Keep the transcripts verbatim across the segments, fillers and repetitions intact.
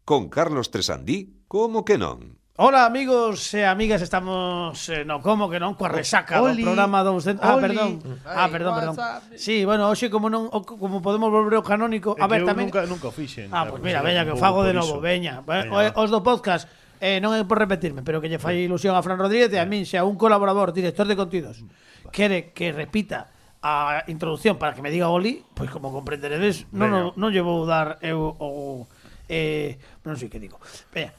Con Carlos Tresandí, como que non? Hola amigos e amigas, estamos eh, no como que non coa resaca do programa douscentos. Ah, perdón. Ah, perdón, perdón. Sí, bueno, hoxe como non o- como podemos volver ao canónico, a ver tamén. Nunca, nunca o fixen. Ah, pois pues mira, veña que o fago de novo, veña. veña. Os do podcast eh, non é por repetirme, pero que lle fai ilusión a Fran Rodríguez e a min, xa un colaborador, director de contidos, quere que repita a introducción para que me diga Oli, pois como comprenderedes, non non, non lle vou dar eu o eh, non sei que digo. Veña.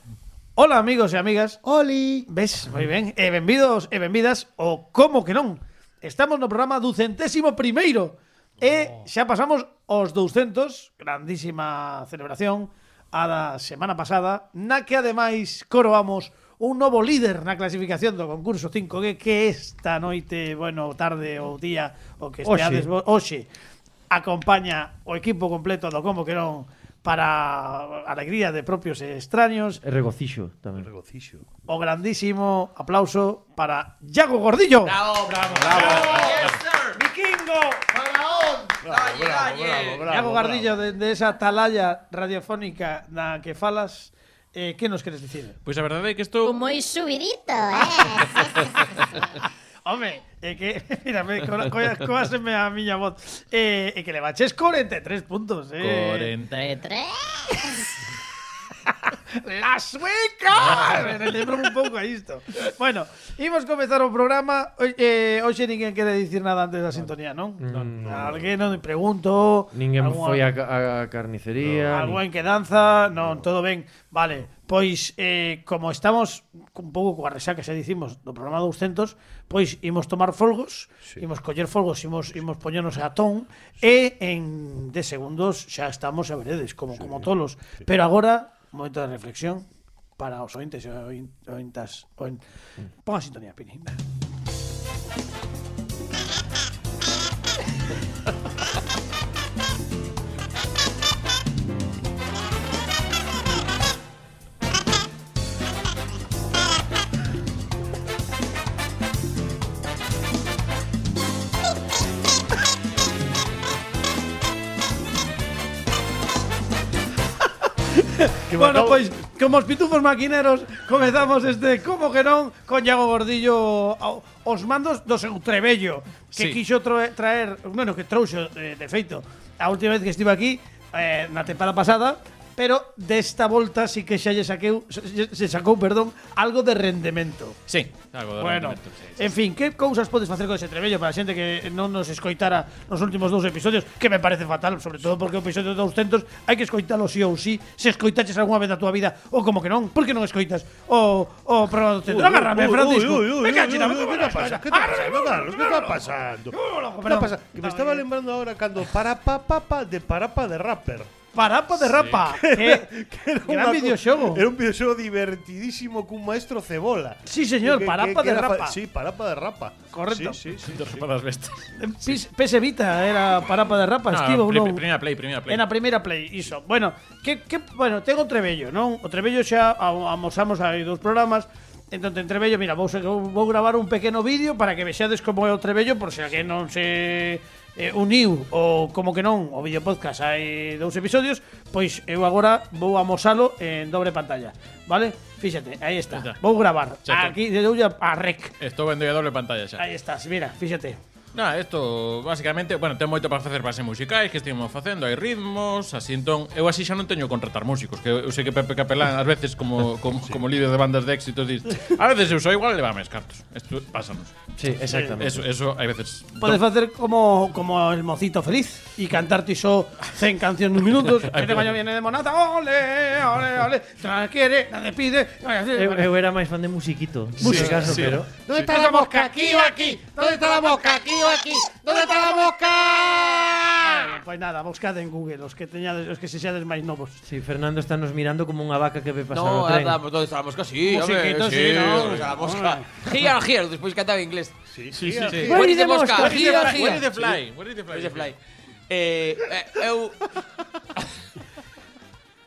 Hola amigos e amigas. Oli. Ves, moi ben. E benvidos e benvidas o como que non. Estamos no programa ducentésimo primeiro e xa pasamos os douscentos, grandísima celebración a da semana pasada, na que ademais coroamos un novo líder na clasificación do concurso cinco G que esta noite, bueno, tarde ou día o que esteades hoxe acompaña o equipo completo do como que non para alegría de propios e extraños. E regocixo tamén. Regocixo. O grandísimo aplauso para Iago Gordillo. Bravo, bravo, bravo. Yes, sir. Vikingo. Faraón. Bravo, bravo, bravo, bravo. Iago Gordillo, de, de esa atalaya radiofónica na que falas, eh, que nos queres dicir? Pois a verdade é que estou Moi subidito, eh. Home, é que, mira, me coáseme a miña voz. Eh, é que le baches cuarenta y tres puntos, eh. cuarenta De tres. ¡La sueca! Me lembro un pouco a isto. Bueno, imos comezar o programa. Eh, hoxe ninguén quere dicir nada antes da sintonía, non? Non. Alguén non me pregunto. Ninguén alguna- foi a, a carnicería. Algo en quedanza, non, todo ben. Vale, pois eh, como estamos un pouco coa resaca, xa dicimos, do programa douscentos, pois imos tomar folgos, sí. imos coller folgos, imos imos poñernos a ton e en dez segundos xa estamos a veredes, como sí, como tolos. Sí. Pero agora, un momento de reflexión para os ointes e oin- ointas. Oin... Pon a sintonía, Pini. Bueno, pois, como os pitufos maquineros, comezamos este como que non con Iago Gordillo ao- os mandos do seu trebello que Sí. quixo troe- traer, bueno, que trouxo eh, de feito a última vez que estive aquí eh, na tempada pasada, pero desta volta sí que xa lle saqueu se, se sacou, perdón, algo de rendemento. Sí, algo de Bueno, rendemento, sí, sí. en fin, que cousas podes facer con ese trebello para a xente que non nos escoitara nos últimos dous episodios, que me parece fatal, sobre todo porque o episodio douscentos hai que escoitalo sí ou sí, se escoitaches algunha vez da tua vida, ou como que non, por que non escoitas o, o programa douscentos? Agárrame, Francisco. Me cacho na ¿Qué está pasando? ¿Qué está pasando, Carlos? ¿Qué está pasando? ¿Qué está pasando? Que me estaba lembrando ahora cando Parapa Papa de Parapa de Rapper. Parapa de rapa. Que, Que era gran unha co- videoxogo. Era un videoxogo divertidísimo cun maestro cebola. Sí, señor, Parapa de era fa- Rapa. Sí, Parapa de Rapa. Correcto. Sí, sí, sí. Dos sí. para las bestas. Pis- P S Vita era Parapa de rapa, No, estivo pri- non? Primera play, primera play. En a primeira play, iso. Bueno, que, que bueno, tengo o trebello, non? O trebello xa a- amosamos aí dos programas. Entón, en trebello, mira, vou, vou gravar un pequeno vídeo para que vexades como é o trebello, por se alguén non se eh, uniu ou como que non o vídeo podcast hai dous episodios, pois eu agora vou amosalo en dobre pantalla, vale? Fíxate, aí está. Está. Vou gravar. Xa Aquí de doulla a rec. Estou vendo a doble pantalla xa. Aí estás, mira, fíxate. Nada, isto basicamente, bueno, ten moito para facer bases musicais que estivemos facendo, hai ritmos, así entón, eu así xa non teño que contratar músicos, que eu sei que Pepe Capelán ás veces como como, sí. como líder de bandas de éxitos dis, a veces eu sou igual e levame os cartos. Isto pásanos. Sí, exactamente. Eso eso hai veces. Podes facer como como el mocito feliz e cantarte só cen cancións nun minutos. Este baño viene de Monata. Ole, ole, ole. Nada quiere, nada pide. Eu, eu era máis fan de musiquito, Sí, sí, caso, sí. pero ¿Dónde está la mosca? Aquí o aquí. ¿Dónde está la mosca? Aquí o aquí. ¿Dónde está la mosca? Pois nada, buscade en Google os que teñades, os que sexades máis novos. sí, Fernando está nos mirando como unha vaca que ve pasar No, o tren. andamos, ¿dónde está la mosca? Sí, Musiquito, hombre, sí, no. ¿dónde está la mosca? Here, here, despois cantaba en inglés. Sí, Sí, sí, sí. Where is the mosca? Where is the Here, fly? Where is here. the fly? Where is the fly? Where is the fly? Eh, eh, eu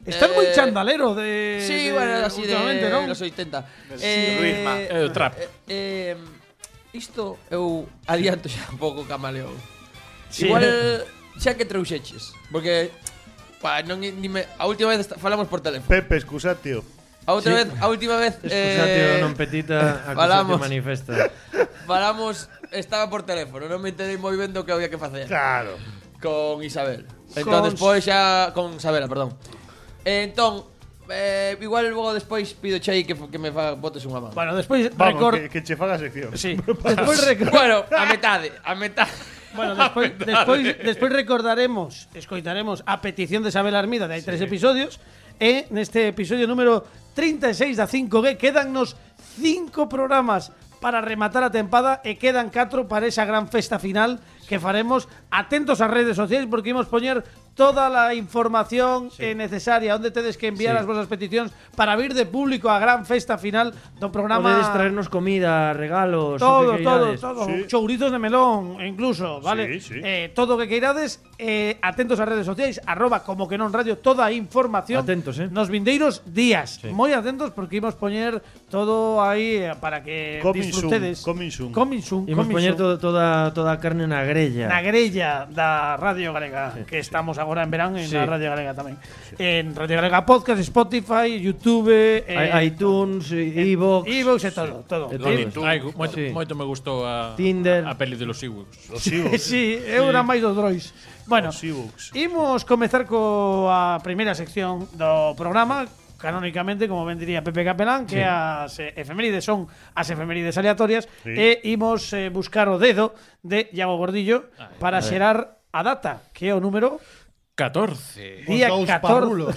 Estás Eh, moi chandalero de Sí, de, bueno, así de últimamente, non? los oitenta. ritmo. Eh, o trap. Eh, eh, isto eu adianto xa un pouco camaleón. Sí. Igual xa que trouxeches, porque Pa, non, ni me, a última vez falamos por teléfono. Pepe, excusa, tío. A outra Sí. vez, a última vez Excusatio eh, non petita, falamos. acusatio manifesta. falamos, estaba por teléfono, non me enterei moi ben do que había que facer. Claro. Con Isabel. Entón Con- despois xa con Isabela, perdón. E entón eh, igual logo despois pido che aí que, que me fa, botes unha mano. Bueno, despois Vamos, record... que, que che faga sección. Sí, despois record... Bueno, a metade, a metade. Bueno, despois, despois, despois recordaremos, escoitaremos a petición de Isabel Armida de hai tres episodios e neste episodio número trinta e seis da cinco G quedannos cinco programas para rematar a tempada e quedan catro para esa gran festa final que faremos. Atentos ás redes sociais porque imos poñer toda a información sí. necesaria onde tedes que enviar sí. as vosas peticións para vir de público a gran festa final do programa. Podedes traernos comida, regalos, Todo, o que todo, queirades. todo. Sí. Chourizos de melón, incluso, ¿vale? Sí, sí. Eh, todo o que queirades, eh, atentos ás redes sociais, arroba como que non radio, toda a información. Atentos, eh. Nos vindeiros días. Sí. Moi atentos porque imos poñer todo aí eh, para que Coming disfrutedes. soon, coming soon. Coming soon, Imos coming poñer soon. todo, toda, toda a carne na grella. Na grella da Radio Galega, que estamos agora en verán en Sí. la Radio Galega tamén. En Radio Galega Podcast, Spotify, YouTube, eh, I- iTunes, iVoox. iVoox e todo, todo. E Eh, todo. Ai, moito, Sí. moito me gustou a Tinder. a peli de los Ewoks. Los Ewoks. Sí, eu era máis dos drois. Bueno, Os Ewoks. imos comezar coa primeira sección do programa, canónicamente, como ben diría Pepe Capelán, que Sí. as eh, efemérides son as efemérides aleatorias, Sí. e imos eh, buscar o dedo de Iago Gordillo para xerar a data, que é o número catorce. día Os dous catorce. parrulos.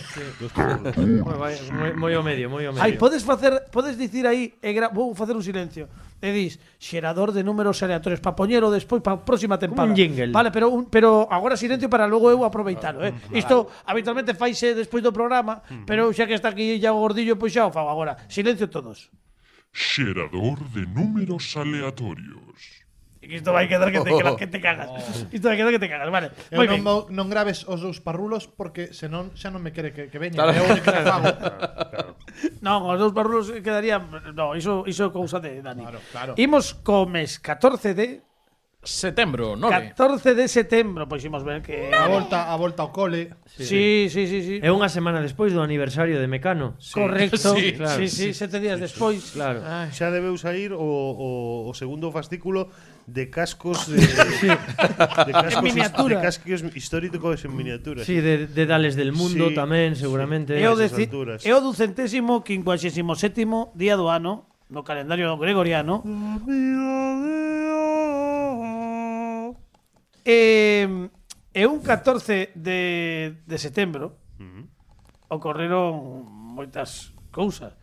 Moi, vai, moi, moi ao medio, moi ao medio. Ai, podes facer, podes dicir aí, e gra- vou facer un silencio. E dis, xerador de números aleatorios para poñelo despois para a próxima tempada. un jingle. Vale, pero un, pero agora silencio para logo eu aproveitalo, eh. Isto habitualmente faise despois do programa, pero xa que está aquí Iago Gordillo, pois xa o fago agora. Silencio todos. Xerador de números aleatorios. E que isto vai quedar que te, que te cagas. Isto vai quedar que te cagas, vale. Eu Moi non, ben. vou- non graves os dous parrulos porque senón xa non me quere que, que veña. É o único que fago. Non, os dous parrulos quedarían, no, iso iso é cousa de Dani. Claro, claro. Imos co mes catorce de Setembro, nove. catorce de setembro, pois imos ver que A volta, a volta ao cole. Sí, sí, sí, sí. É unha semana despois do aniversario de Mecano. Correcto. Sí, claro. Sí, sí, sete días despois. Claro. Xa debeu sair o, o, o segundo fascículo de cascos de, de cascos, En miniatura. de cascos históricos en miniatura. Sí, de, de Dales del Mundo Sí, tamén, sí. seguramente. É o, esas deci- alturas. é o ducentésimo quincuagésimo sétimo día do ano no calendario gregoriano. E, e un catorce de, de setembro ocorreron moitas cousas.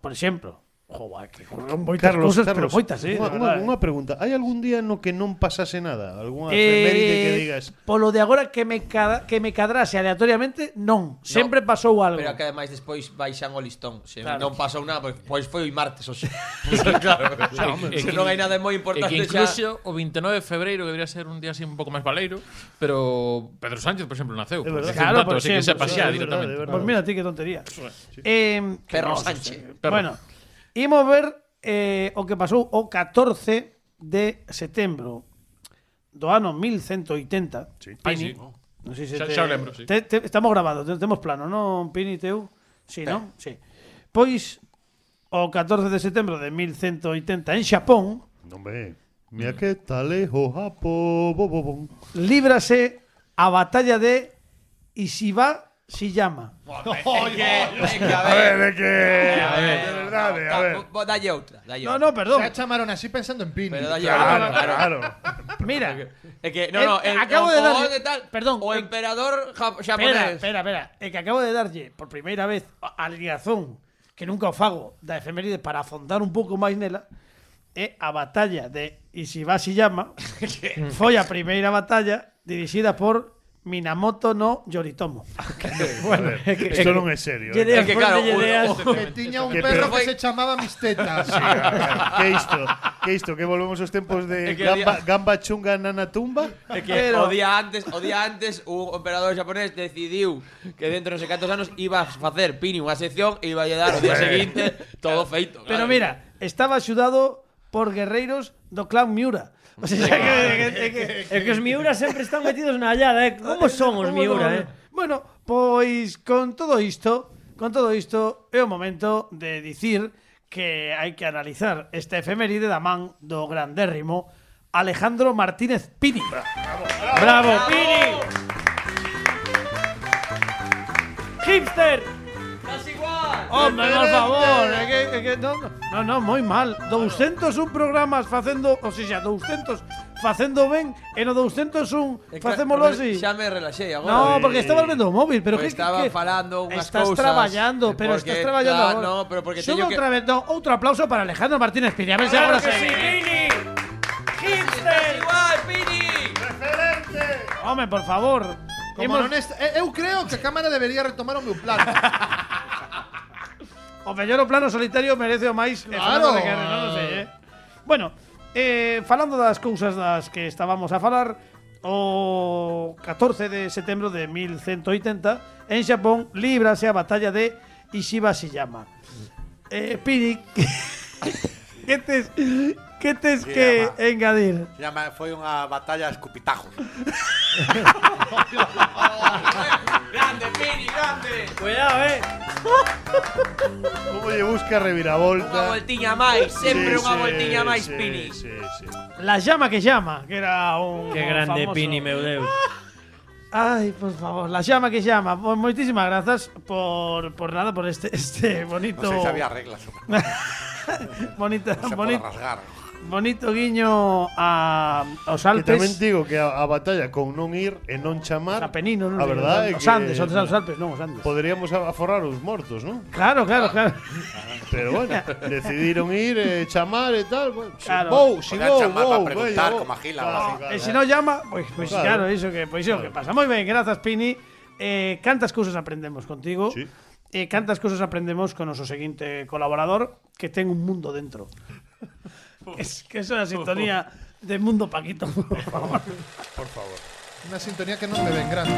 Por exemplo, joder, que ocorreron moitas Carlos, cousas, Carlos, pero moitas, eh. unha, de unha, verdade. unha pregunta. Hai algún día no que non pasase nada? Algúna Eh, efeméride que digas? Polo de agora que me cada, que me cadrase aleatoriamente, non. Sempre pasou algo. Pero que ademais despois baixan o listón. Se Claro. non pasou nada, pois, pois foi o martes hoxe. claro, se non hai nada moi E importante que xa. incluso o veintinueve de febreiro, que debería ser un día así un pouco máis baleiro, pero Pedro Sánchez, por exemplo, naceu. É verdade. Claro, Claro, por así que exemplo, sepa sí, xa é verdade, directamente. é verdade. Pues mira, ti que tontería. Eh, que Perro no, Sánchez. Perro. Bueno, imos ver eh, o que pasou o catorce de setembro do ano mil ciento oitenta. Sí. Ai, Pini. sí. Non sei se Xa- te- xa o lembro, sí. te- te- estamos grabados, te- temos plano, non, Pini, teu? Sí, non? Sí. Pois, o catorce de setembro de mil ciento oitenta en Xapón, Non ve. Mira que tal o japo, bo, bo, bo. líbrase a batalla de Ishiba Shiyama. É que, é que, a A ver, ver. é que... A ver, de verdade, a ver. Bo- Dalle outra, dalle No, outra. no, perdón. Xa chamaron así pensando en Pini. Pero dalle Claro, outra. claro. Mira, É que, no, no, Eh, el, acabo o, de o darlle- de tal, perdón, o eh, emperador jap- espera, xaponés. espera, espera. É que acabo de darlle por primeira vez a ligazón que nunca o fago da efeméride para afondar un pouco máis nela. É a batalla de Ishiba Shiyama. Foi a primeira batalla dirixida por Minamoto no Yoritomo. Bueno, isto non é serio. Lle eh. dei É que as claro, fontes, lle o- dei as- o- Que tiña un Que perro pero- que se chamaba Mis Tetas. Sí, a ver, que isto? Que isto? Que volvemos aos tempos de É que gamba, día- gamba chunga nana tumba? É que Pero- o día antes, o día antes un emperador xaponés decidiu que dentro de non sei cantos anos iba a facer Pini unha sección e iba a lle dar o día seguinte todo feito. Pero claro. mira, estaba axudado por guerreiros do clan Miura. O sea, que, que, que, que, É que os Miura sempre están metidos na hallada, eh? Como son os ¿Cómo Miura, no? eh? Bueno, Pois con todo isto, con todo isto é o momento de dicir que hai que analizar esta efeméride da man do grandérrimo Alejandro Martínez Pini. Bravo, bravo, bravo Pini. Hipster. Casi igual. Hombre, por favor, é que, é que no, no, no, moi mal. doscientos un programas facendo, ou seja, doscientos facendo ben e no doscientos un facémolo así. Xa me relaxei agora. No, porque estabas vendo o móvil, pero pues que estaba que, falando unhas estás cousas. traballando, pero porque, estás traballando claro, agora. no, pero porque Sube teño que outra vez, no, outro aplauso para Alejandro Martínez Pini. A ver se agora se Pini. Hipster igual, Pini. Referente. Home, por favor. Como Hemos- non est- eh, eu creo que a cámara debería retomar o meu plano. O mellor o plano solitario merece o máis e Claro. Fernando de Guerra, non o sei, eh. Bueno, eh, falando das cousas das que estábamos a falar, o catorce de setembro de mil ciento oitenta en Xapón líbrase a batalla de Ishibashiyama. Eh, Pini, que tes que tes Sí, que ama. engadir? Se llama, foi unha batalla a escupitajos. Grande, Pini, grande. Cuidado, eh. Como lle busca Unha reviravolta. voltiña máis, sempre Sí, unha sí, voltiña máis, sí, Pini. Sí, sí. La llama que llama, que era un Qué grande famoso- Pini, meu Deus. Ay, por favor, la llama que llama. Pues moitísimas grazas por por nada por este este bonito Non sei se había reglas. bonito Se pode bonito rasgar. bonito guiño a aos Que tamén Alpes. digo que a, a batalla con non ir e non chamar. A Penino, non A verdade é os que Andes, os os Alpes, non os Andes. Poderíamos a- aforrar os mortos, non? Claro, claro, claro. Pero bueno, decidiron ir e chamar e tal. Bueno, si Claro. vou, si Podían vou, chamar vou, para preguntar veña, vou. como a Gila, Claro, así. claro. E se non llama, pois pues, pues, Claro. claro, iso que pois iso que pasa. Moi ben, grazas Pini. Eh, cantas cousas aprendemos contigo. Sí. E cantas cousas aprendemos con o noso seguinte colaborador que ten un mundo dentro. Es que eso é a sintonía de Mundo Paquito, por favor. Por favor. Unha sintonía que non me ven grande.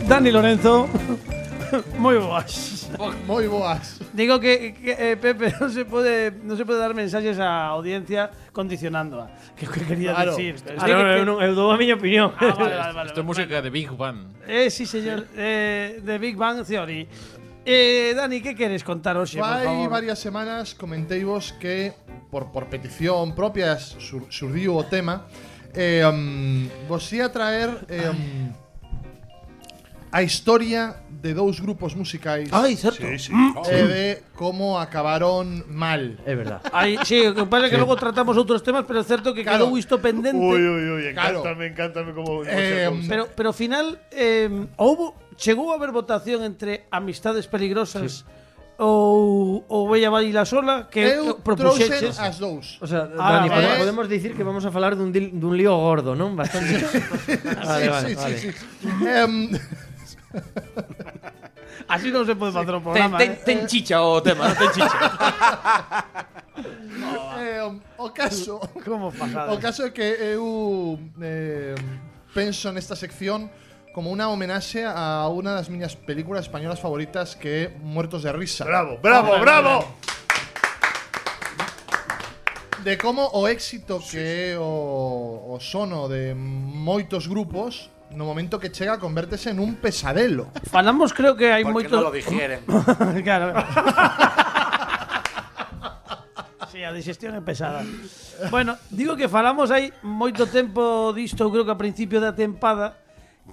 Dani Lorenzo, moi boas. Moi boas. Digo que, que eh, Pepe non se pode non se pode dar mensaxes á audiencia condicionándoa. Que que quería Claro. decir. Pero Ah, sei no, que- eu, non, eu dou a miña opinión. Ah, vale, vale, vale. Isto é música de Big Bang. Eh, sí, señor, eh, de Big Bang Theory. Eh, Dani, que queres contar hoxe, por Fai favor? varias semanas comenteivos que por, por petición propia sur, surdiu o tema eh, um, vos ia traer eh, um, a historia de dous grupos musicais Ai, certo. Sí, sí. e de como acabaron mal. É verdad. Ai, sí, o que pasa é que logo tratamos outros temas, pero é certo que Claro. quedou isto pendente. Uy, uy, uy, Claro. encántame, encántame como. Eh, como se- Pero, pero ao final eh, houbo, chegou a haber votación entre amistades peligrosas ou ou Bella Baila Sola que Eu trouxen propuxeches. as dous. O sea, Ah, Dani, vale. pode- podemos dicir que vamos a falar dun, dil- dun lío gordo, non? Bastante. Vale, vale, sí, vale. sí, sí. Em, Así non se pode facer o Ten, programa. ten, eh. ten chicha o tema, non ten chicha. eh, um, o caso Como pasada. O caso é que eu eh, penso nesta sección como unha homenaxe a unha das miñas películas españolas favoritas que é Muertos de Risa. Bravo, bravo, bravo. De como o éxito que é o, o sono de moitos grupos no momento que chega convértese en un pesadelo. Falamos, creo que hai Porque moito non lo digieren. Claro. Sí, a digestión é pesada. Bueno, digo que falamos hai moito tempo disto, eu creo que a principio da tempada,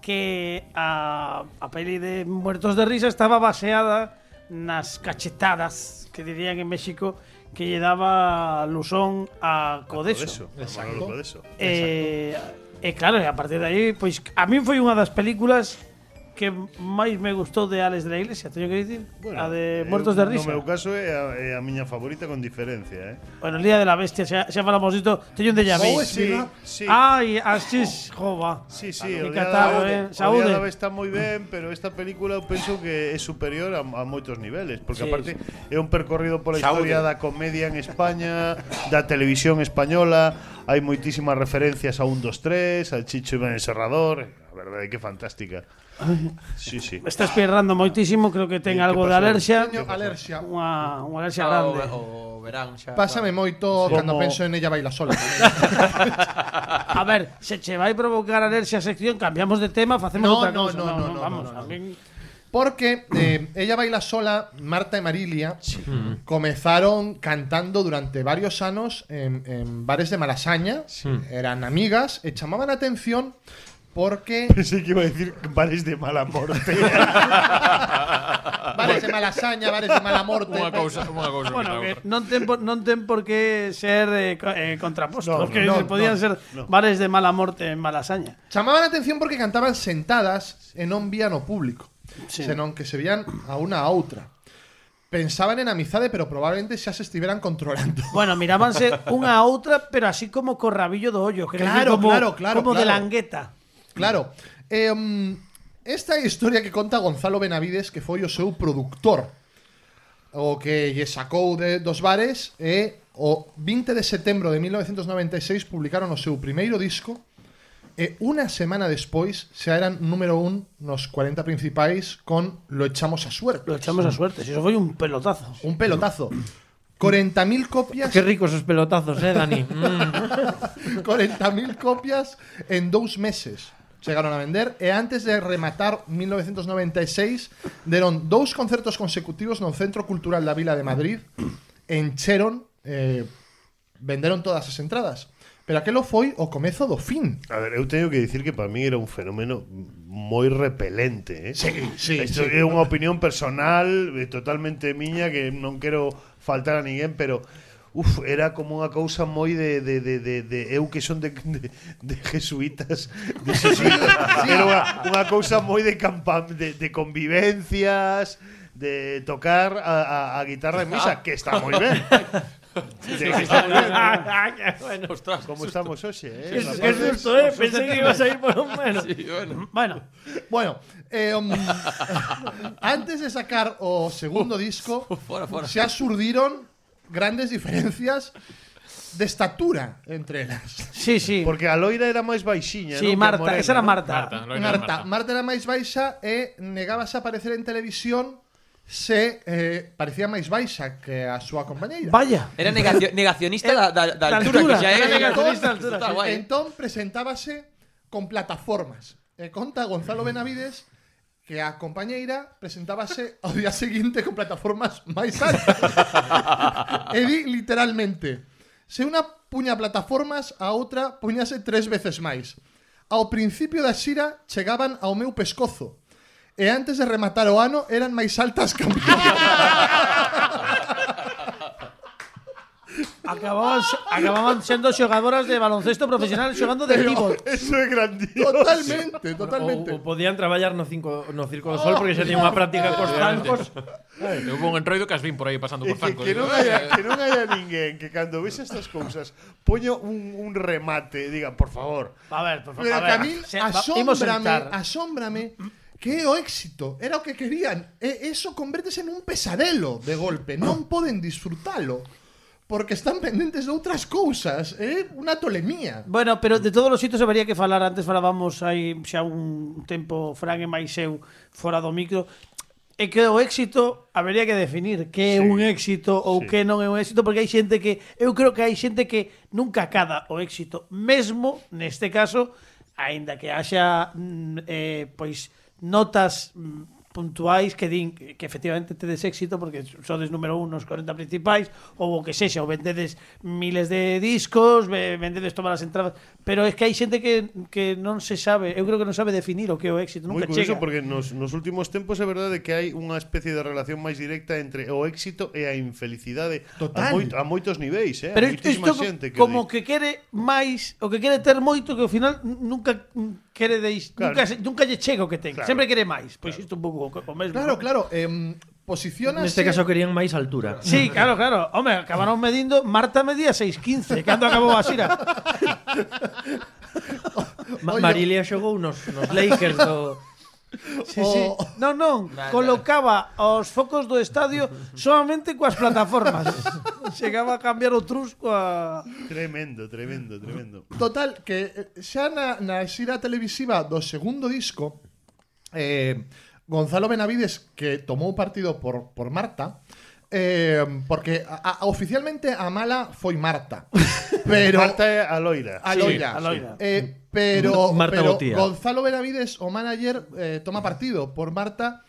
que a, a peli de Muertos de Risa estaba baseada nas cachetadas que dirían en México que lle daba Lusón a Codeso. Exacto. Eso. E, e claro, e a partir de aí, pois a min foi unha das películas que máis me gustou de Alex de la Iglesia, teño que dicir, a de Muertos de Risa. No meu caso é a, é a miña favorita con diferencia, eh. Bueno, el Día de la Bestia, xa, xa falamos disto, teño un déjà vu. Oh, Sí, sí. sí. Ai, así es, jova. Sí, sí, Que o día catarro, da, eh. o Saúde. día da está moi ben, pero esta película eu penso que é superior a, a moitos niveles, porque Sí, aparte é un percorrido pola Saúde. historia da comedia en España, da televisión española, hai moitísimas referencias a un, dos, tres, al Chicho Iván el Serrador. verdade que fantástica. Sí, sí. Me está espirrando moitísimo, creo que ten Eh, algo que de pasou? alerxia. Teño alerxia. Unha, unha alerxia O, grande. o verán xa. Pásame moito Sí. cando Como- penso en ella baila sola. A ver, se che vai provocar alerxia a sección, cambiamos de tema, facemos No, outra no, cousa. no, no, no, vamos, no, no. a min- Porque eh, ella baila sola, Marta e Marilia, comenzaron cantando durante varios anos en, en bares de Malasaña. Eran amigas e chamaban a atención porque Pensei que iba a decir bares de mala morte. bares de Malasaña, bares de mala morte. Unha cousa, unha cousa Bueno, que que non ten, por- non ten por que ser eh, co- eh, contraposto, No, que no, podían no, ser bares de mala morte en Malasaña. Chamaban a atención porque cantaban sentadas e non vían o público, Sí. senón que se vían a unha a outra. Pensaban en amizade, pero probablemente xa se estiveran controlando. Bueno, mirábanse unha a outra, pero así como co rabillo do ollo, que Claro, como, claro, claro, como de claro. langueta. Claro. Eh, um, esta é a historia que conta Gonzalo Benavides, que foi o seu produtor. O que lle sacou de, dos bares e o vinte de setembro de mil novecentos noventa e seis publicaron o seu primeiro disco e unha semana despois xa eran número un nos cuarenta principais con Lo echamos a suerte. Lo echamos a suerte, si eso foi un pelotazo. Un pelotazo. cuarenta mil copias. Qué ricos esos pelotazos, eh, Dani. Mm. cuarenta mil copias en dous meses chegaron a vender e antes de rematar mil novecentos noventa e seis deron dous concertos consecutivos no Centro Cultural da Vila de Madrid, encheron, eh, venderon todas as entradas, pero aquelo foi o comezo do fin. A ver, eu teño que dicir que para mí era un fenómeno moi repelente, eh? Sí, sí, Isto sí. é unha opinión personal, eh, totalmente miña, que non quero faltar a ninguén, pero uf, era como unha cousa moi de, de, de, de, de eu que son de, de, de jesuitas, de jesuitas. Era unha, unha cousa moi de, campa, de, de convivencias, de tocar a, a, a guitarra en misa, que está moi ben. Sí, que está moi ben. Bueno, Ostras, Como estamos hoxe, eh? qué, qué susto, eh. Pensé que ibas a ir por un menos. sí, bueno. Bueno, Bueno, eh, um, antes de sacar o segundo disco, Fora, fora. xa surdiron grandes diferencias de estatura entre elas. sí, sí. Porque a Loira era máis baixiña, Sí, non? Que a Marta, Morena, esa era non? Marta. Marta, Loira era Marta, Marta era máis baixa e negábase a aparecer en televisión se eh, parecía máis baixa que a súa compañeira. Vaya. Era negacio, negacionista da, da, da Da altura, altura, que xa era é negacionista da altura, Está sí. guai, eh. Entón presentábase con plataformas. E conta Gonzalo Benavides que a compañeira presentábase ao día seguinte con plataformas máis altas. E di literalmente, se unha puña plataformas, a outra puñase tres veces máis. Ao principio da xira chegaban ao meu pescozo. E antes de rematar o ano eran máis altas que a Acababan, acababan sendo xogadoras de baloncesto profesional xogando de pívot. Eso é grandioso. Totalmente, totalmente. O, o podían traballar no, cinco, no Circo do Sol porque xa tiña unha práctica cos zancos. Eu vou un entroido que as vin por aí pasando E por que, Franco. que, digo, non haya, que non haya ninguén que cando ves estas cousas poño un, un remate e diga, por favor. A ver, por favor. Pero a que a ver, mí se- va- imos asómbrame, sentar. asómbrame que é o éxito, era o que querían. E eso convértese nun pesadelo de golpe, non poden disfrutalo. Porque están pendentes de outras cousas, é unha tolemía. Bueno, pero de todos os sitios habería que falar. Antes falábamos hai xa un tempo Fran e máis eu fora do micro. É que o éxito habería que definir que é Sí. un éxito ou Sí. que non é un éxito, porque hai xente que eu creo que hai xente que nunca acada o éxito, mesmo neste caso, aínda que haxa mm, eh, pois notas mm, puntuais que din que, que efectivamente tedes éxito porque sodes número un nos cuarenta principais ou o que sexa, ou vendedes miles de discos, ve- vendedes todas as entradas, pero é que hai xente que, que non se sabe, eu creo que non sabe definir o que é o éxito, Moi nunca curioso chega. porque nos, nos últimos tempos é verdade que hai unha especie de relación máis directa entre o éxito e a infelicidade Total. a, moito, a moitos niveis, eh? Pero a moitísima isto xente que como di- que quere máis, o que quere ter moito que ao final n- nunca mm, quere deis, Claro. nunca, se- nunca lle chega o que ten, Claro. sempre quere máis. Pois isto un pouco o, o mesmo. Claro, ¿no? claro, eh, posicionase... Neste caso querían máis altura. Sí, claro, claro. Home, acabaron medindo, Marta medía seis quince, cando acabou a xira. Ma Oye. Marilia xogou nos, nos Lakers do... Sí, sí. O- Non, non, Vale, colocaba os focos do estadio solamente coas plataformas. chegaba a cambiar o trusco a... Tremendo, tremendo, tremendo. Total, que xa na, na xira televisiva do segundo disco, eh, Gonzalo Benavides, que tomou partido por, por Marta, eh, porque a, a, oficialmente a mala foi Marta. Pero Marta é a loira. A Sí, loira. a loira. Eh, pero Marta pero Botía. Gonzalo Benavides, o manager, eh, toma partido por Marta,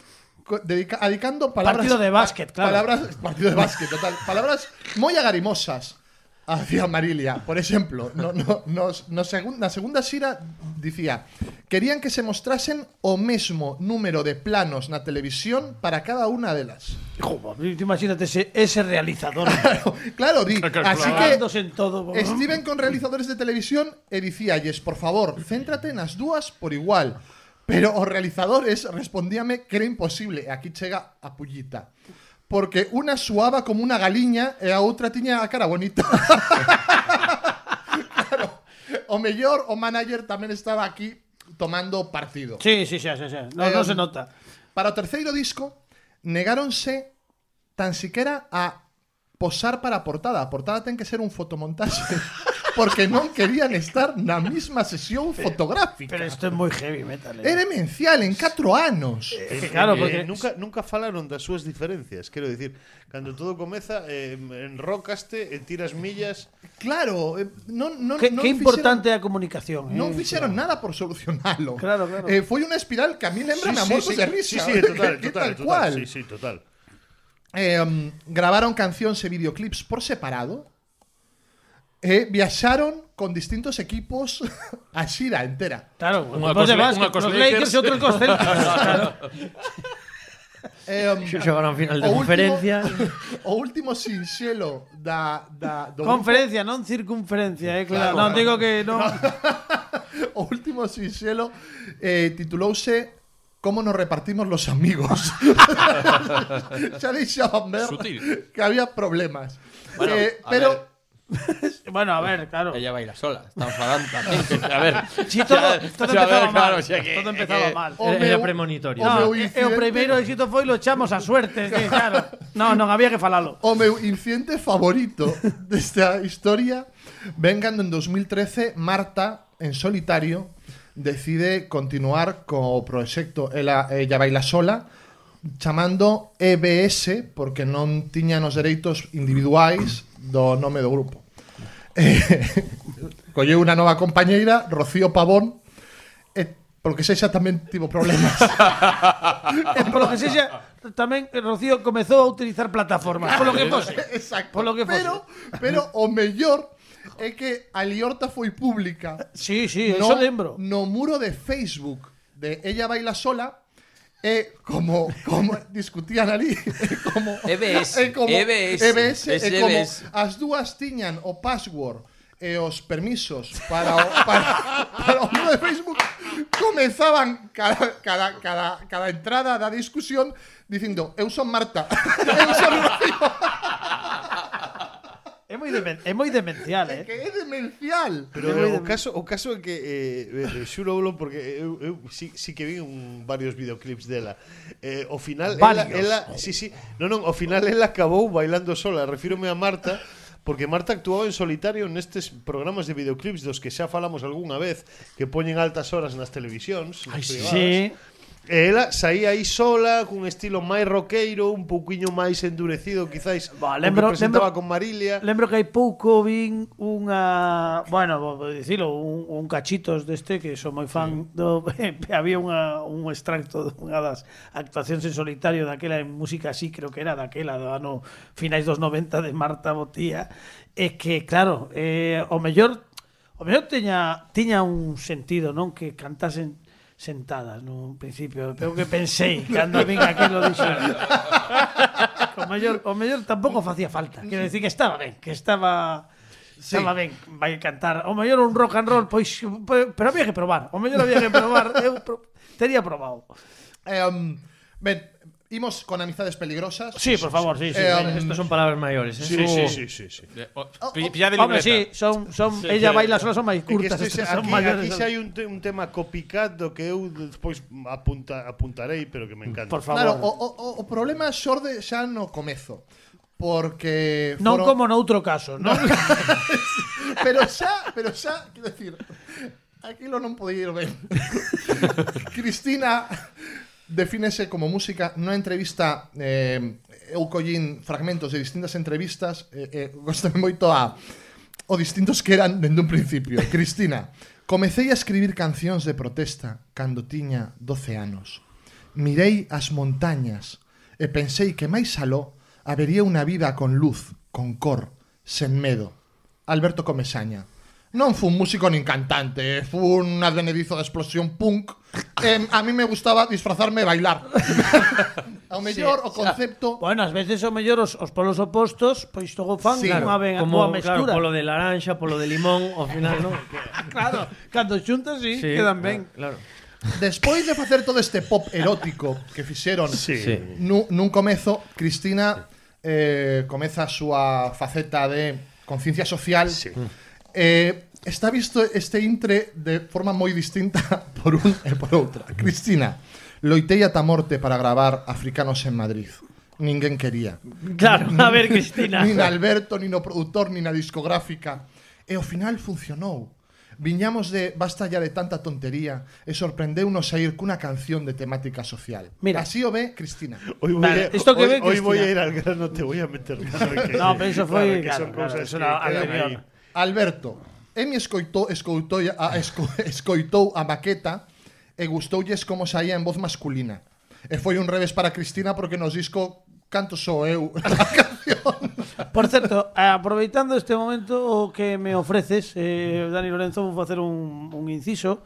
co- dedica, dedicando palabras... Partido de básquet, claro. Palabras, partido de básquet, total. Palabras moi agarimosas hacia Marilia. Por exemplo, no, no, nos, no segun, na segunda xira dicía: querían que se mostrasen o mesmo número de planos na televisión para cada unha delas. Joder, imagínate ese, ese realizador. Claro, di. Así que Cagándose en todo. estiven con realizadores de televisión e dicíalles, por favor, céntrate nas dúas por igual. Pero os realizadores respondíame que era imposible. E aquí chega a pullita. Porque unha suaba como unha galiña e a outra tiña a cara bonita. Claro. O mellor, o manager tamén estaba aquí tomando partido. Sí, sí, sí, sí, sí. No, Eh, no se nota. Para o terceiro disco, negáronse tan siquiera a posar para a portada. A portada ten que ser un fotomontaxe. Porque non querían estar na mesma sesión fotográfica. Pero esto es muy heavy metal. É Eh. demencial en catro anos. Es que claro, Eh, porque... nunca, nunca falaron das súas diferencias. Quero dicir, cando todo comeza, eh, enrocaste e tiras millas. Claro, eh, non, non, Qué, non qué fixeron- importante é a comunicación. Non eh. fixeron nada por solucionalo. Claro, claro. Eh, foi unha espiral que a mí lembra a mortos sí, de risa. sí, sí, total, Que total, tal total, cual. sí, sí, total. Eh, um, grabaron cancións e videoclips por separado. E viaxaron con distintos equipos a xira entera. Claro, Unha pues de cos- básquet, unha cos los Lakers. Lakers e outros cos Celtics. Claro. Eh, um, Xogaron final de o conferencia. Último, o último sinxelo da, da do Conferencia, non circunferencia, eh, claro. Claro. Non digo que non. grupo, o último sinxelo eh, titulouse Cómo nos repartimos los amigos. Xa deixaban ver Sutil. que había problemas. Bueno, eh, a pero ver. Bueno, a ver, claro. Ella baila sola. Están falando tamén. A ver. Sí, todo, todo a ver, empezaba claro, mal. o sea que- todo empezaba que- mal. O Era, meu- era premonitorio. o No, meu e, e o incidente- primeiro éxito foi lo echamos a suerte, que, claro. No, non había que falalo. O meu incidente favorito desta historia ven cando en dos mil trece Marta, en solitario, decide continuar co proxecto Ela, Ella Baila Sola, chamando E B S, porque non tiñan os dereitos individuais do nome do grupo. Eh, colleu unha nova compañeira, Rocío Pavón, e polo que sexa tamén tivo problemas. E polo que sexa, tamén Rocío comezou a utilizar plataformas. Polo que fose. Exacto. Polo que fose. pero, pero o mellor é que a liorta foi pública. Sí, sí, no, eso lembro. no muro de Facebook de Ella Baila Sola, e como como discutían ali, e como E B S, e como E B S, E B S, es e como E B S. as dúas tiñan o password e os permisos para o, para, para o muro de Facebook, comenzaban cada, cada, cada, cada entrada da discusión dicindo eu son Marta, eu son Rocío. É moi, demen é moi demencial, eh. Que é demencial. Pero Eu o vou de- caso, o caso é que eh, eh, xurolo porque eu, eu sí, sí que vi un, varios videoclips dela. Eh, ao final ela, Varios. ela sí, sí, non, non, ao final ela acabou bailando sola. Refírome a Marta porque Marta actuaba en solitario nestes programas de videoclips dos que xa falamos algunha vez, que poñen altas horas nas televisións, nas privadas. Sí. E ela saía aí sola, cun estilo máis roqueiro, un pouquiño máis endurecido, quizáis, Bah, o lembro- que presentaba lembro- con Marilia. Lembro que hai pouco vin unha, bueno, vou dicilo, un, un cachitos deste que son moi fan do había unha un extracto dunha das actuacións en solitario daquela en música así, creo que era daquela do ano finais dos noventa de Marta Botía, e que claro, eh, o mellor o mellor tiña tiña un sentido, non, que cantasen sentadas no principio, pero que pensei cando vin aquilo dixo o mellor, o mellor tampouco facía falta, quero dicir que estaba ben, que estaba Sí. estaba ben, vai cantar o mellor un rock and roll, pois pero había que probar, o mellor había que probar, eu pro, tería probado. Eh, um, ben, imos con amizades peligrosas. Sí, por favor, sí, sí. Eh, venga, Estos son palabras mayores, ¿eh? Sí, sí, sí, sí, sí. Eh, o- pi- Pilla de Hombre, libreta. sí, son son ella baila sola, son máis É que curtas, este estas xa- son aquí, maiores. aquí son- xa hai un, te, un tema copycat do que eu despois apunta, apuntarei, pero que me encanta. Por Claro, favor. o, o, o problema xorde xa no comezo. porque Non foron- como noutro caso, non? pero xa, pero xa, quero decir, aquilo non podía ir ben. Cristina defínese como música nunha entrevista, eh, eu collín fragmentos de distintas entrevistas, eh, eh, gostame moito a o distintos que eran dende un principio. Cristina: comecei a escribir cancións de protesta cando tiña doce anos. Mirei as montañas e pensei que máis aló habería unha vida con luz, con cor, sen medo. Alberto Comesaña: non fui un músico nin cantante, fui un advenedizo de explosión punk. Eh, a mí me gustaba disfrazarme e bailar. Ao mellor o concepto... Bueno, ás veces o mellor os, os polos opostos, pois todo fan Sí, unha ben, Como, boa claro, mestura. polo de laranxa, polo de limón, ao final, non? Claro, cando xuntas sí, Sí, quedan ben. Claro. Despois de facer todo este pop erótico que fixeron Sí. Sí. nun, nun comezo, Cristina eh, comeza a súa faceta de conciencia social. Sí. Eh, está visto este intre de forma moi distinta por un e por outra. Cristina: loitei ata a morte para gravar Africanos en Madrid. Ninguén quería. Claro, a ver, Cristina. Nin Alberto, nin o produtor, nin a discográfica. E ao final funcionou. Viñamos de basta ya de tanta tontería e sorprendeunos a ir cunha canción de temática social. Mira. Así o ve Cristina. Hoy voy, Vale, a, esto que hoy, ve hoy voy a Cristina. ir al grano, te voy a meter mano, que- No, pero eso foi, que claro, son claro, cosas eso que era quedan anterior. aí. Alberto: Emi escoitou, escoitou, a, esco, escoitou a maqueta e gustoulles como saía en voz masculina. E foi un revés para Cristina porque nos disco canto sou eu a canción. Por certo, aproveitando este momento o que me ofreces, eh, Dani Lorenzo, vou facer un, un inciso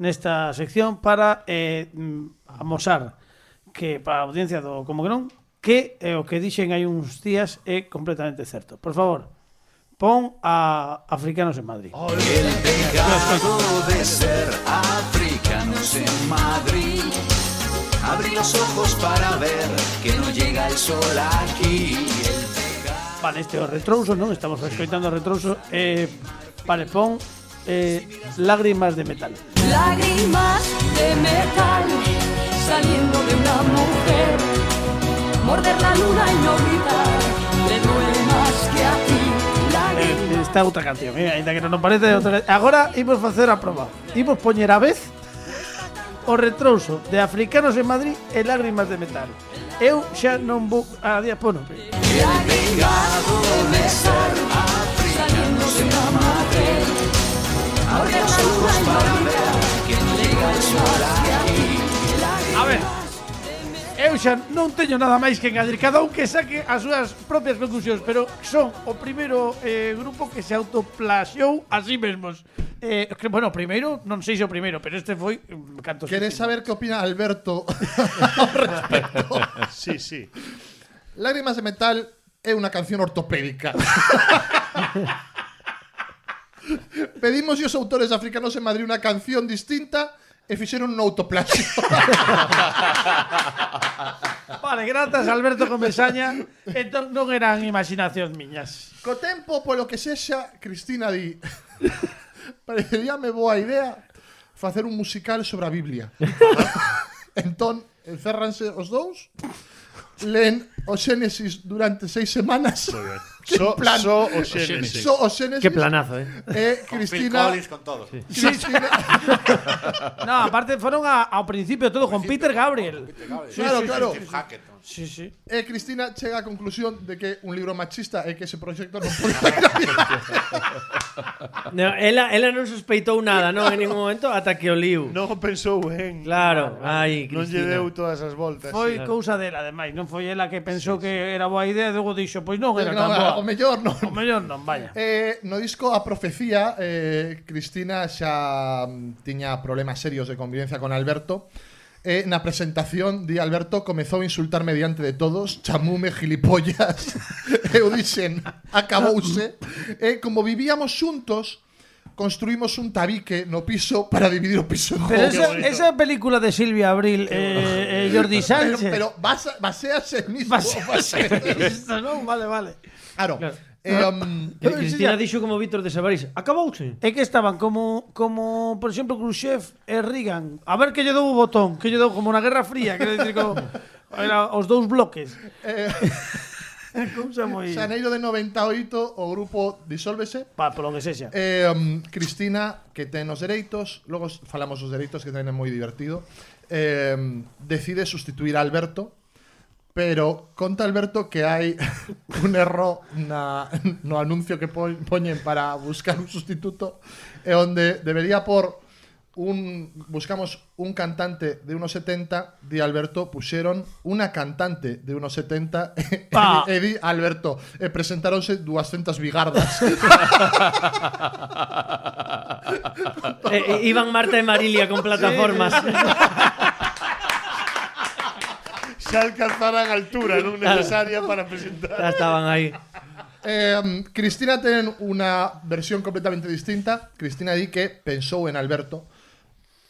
nesta sección para eh, mm, amosar que para a audiencia do Como que non, que eh, o que dixen hai uns días é completamente certo. Por favor, pon a Africanos en Madrid. El pecado de ser africanos en Madrid. Abrí los ojos para ver que no llega el sol aquí. Vale, este é o retrouso, non? Estamos escoitando o retrouso. Eh, vale, pon eh, Lágrimas de metal. Lágrimas de metal saliendo de una mujer. Morder la luna y no gritar, le duele más que a ti. Lágrimas. Eh, esta outra canción, eh, ainda que non parece outra. Agora imos facer a proba. Imos poñer a vez o retrouso de Africanos en Madrid e Lágrimas de metal. Eu xa non vou a día, bueno, Lágrimas de metal saliendo de una mujer. Morder la luna y no gritar, que no llega el sol aquí. a ver. Eu xa non teño nada máis que engadir, cada un que saque as súas propias conclusións, pero son o primeiro eh, grupo que se autoplaxou a sí mesmos. Eh, que, bueno, primeiro, non sei se o primeiro, pero este foi mm, cantos. ¿Queres saber qué opina Alberto al respecto? Sí, sí. Lágrimas de metal é unha canción ortopédica. Pedimos aos autores africanos en Madrid unha canción distinta e fixeron un autoplaxio. Vale, grazas Alberto Comesaña. Entón non eran imaginacións miñas. Co tempo, polo que sexa, Cristina di: pareceríame boa idea facer un musical sobre a Biblia. Entón, encérranse os dous, leen o Xénesis durante seis semanas. Que So, plan. so o Xénesis. So o Xénesis. Qué planazo, eh. E Con Phil Cristina... Collins, con todo. Sí. Cristina No, aparte foron a, ao principio todo con Peter Gabriel. Claro, claro. Steve Hackett. Sí, sí. E Cristina chega á conclusión de que un libro machista é que ese proxecto non pode. No, ela, ela non sospeitou nada, non, en ningún momento, ata que o liu. Non pensou en... Claro, ai, Non lle Cristina. deu todas as voltas. Foi sí. cousa dela, ademais. Non foi ela que pensou que era boa idea e logo dixo, pois non era tan Non, boa. o mellor non. O mellor non, vaya. Eh, no disco A Profecía, eh, Cristina xa mm, tiña problemas serios de convivencia con Alberto. Eh, na presentación di Alberto comezou a insultarme diante de todos, chamume gilipollas. Eu dixen, acabouse. E como vivíamos xuntos, construímos un tabique no piso para dividir o piso en Pero dous. esa, esa película de Silvia Abril e eh, eh, Jordi Pero, Sánchez. pero basa, basease en mismo. Basease Isto, non? Vale, vale. Claro. Claro. Eh, um, Que Cristina dixo como Víctor de Sabarís. Acabouse. É que estaban como, como por exemplo, Khrushchev e Reagan. A ver que lle dou o botón, que lle dou como na Guerra Fría, quero dicir, como, era os dous bloques. eh, Cousa moi... Xaneiro de noventa e oito o grupo disólvese. Pa, polo que sexa. Eh, um, Cristina, que ten os dereitos, logo falamos os dereitos que ten é moi divertido, eh, decide sustituir a Alberto, pero conta Alberto que hai un erro na, no anuncio que po, poñen para buscar un sustituto, e onde debería por un buscamos un cantante de unos setenta, di Alberto, puxeron unha cantante de unos setenta e, Ah. e di Alberto, e presentáronse doscientas bigardas. Eh, eh, iban Marta e Marilia con plataformas. Xa alcanzarán altura non necesaria para presentar. Ya estaban aí. Eh, Cristina ten unha versión completamente distinta. Cristina di que pensou en Alberto,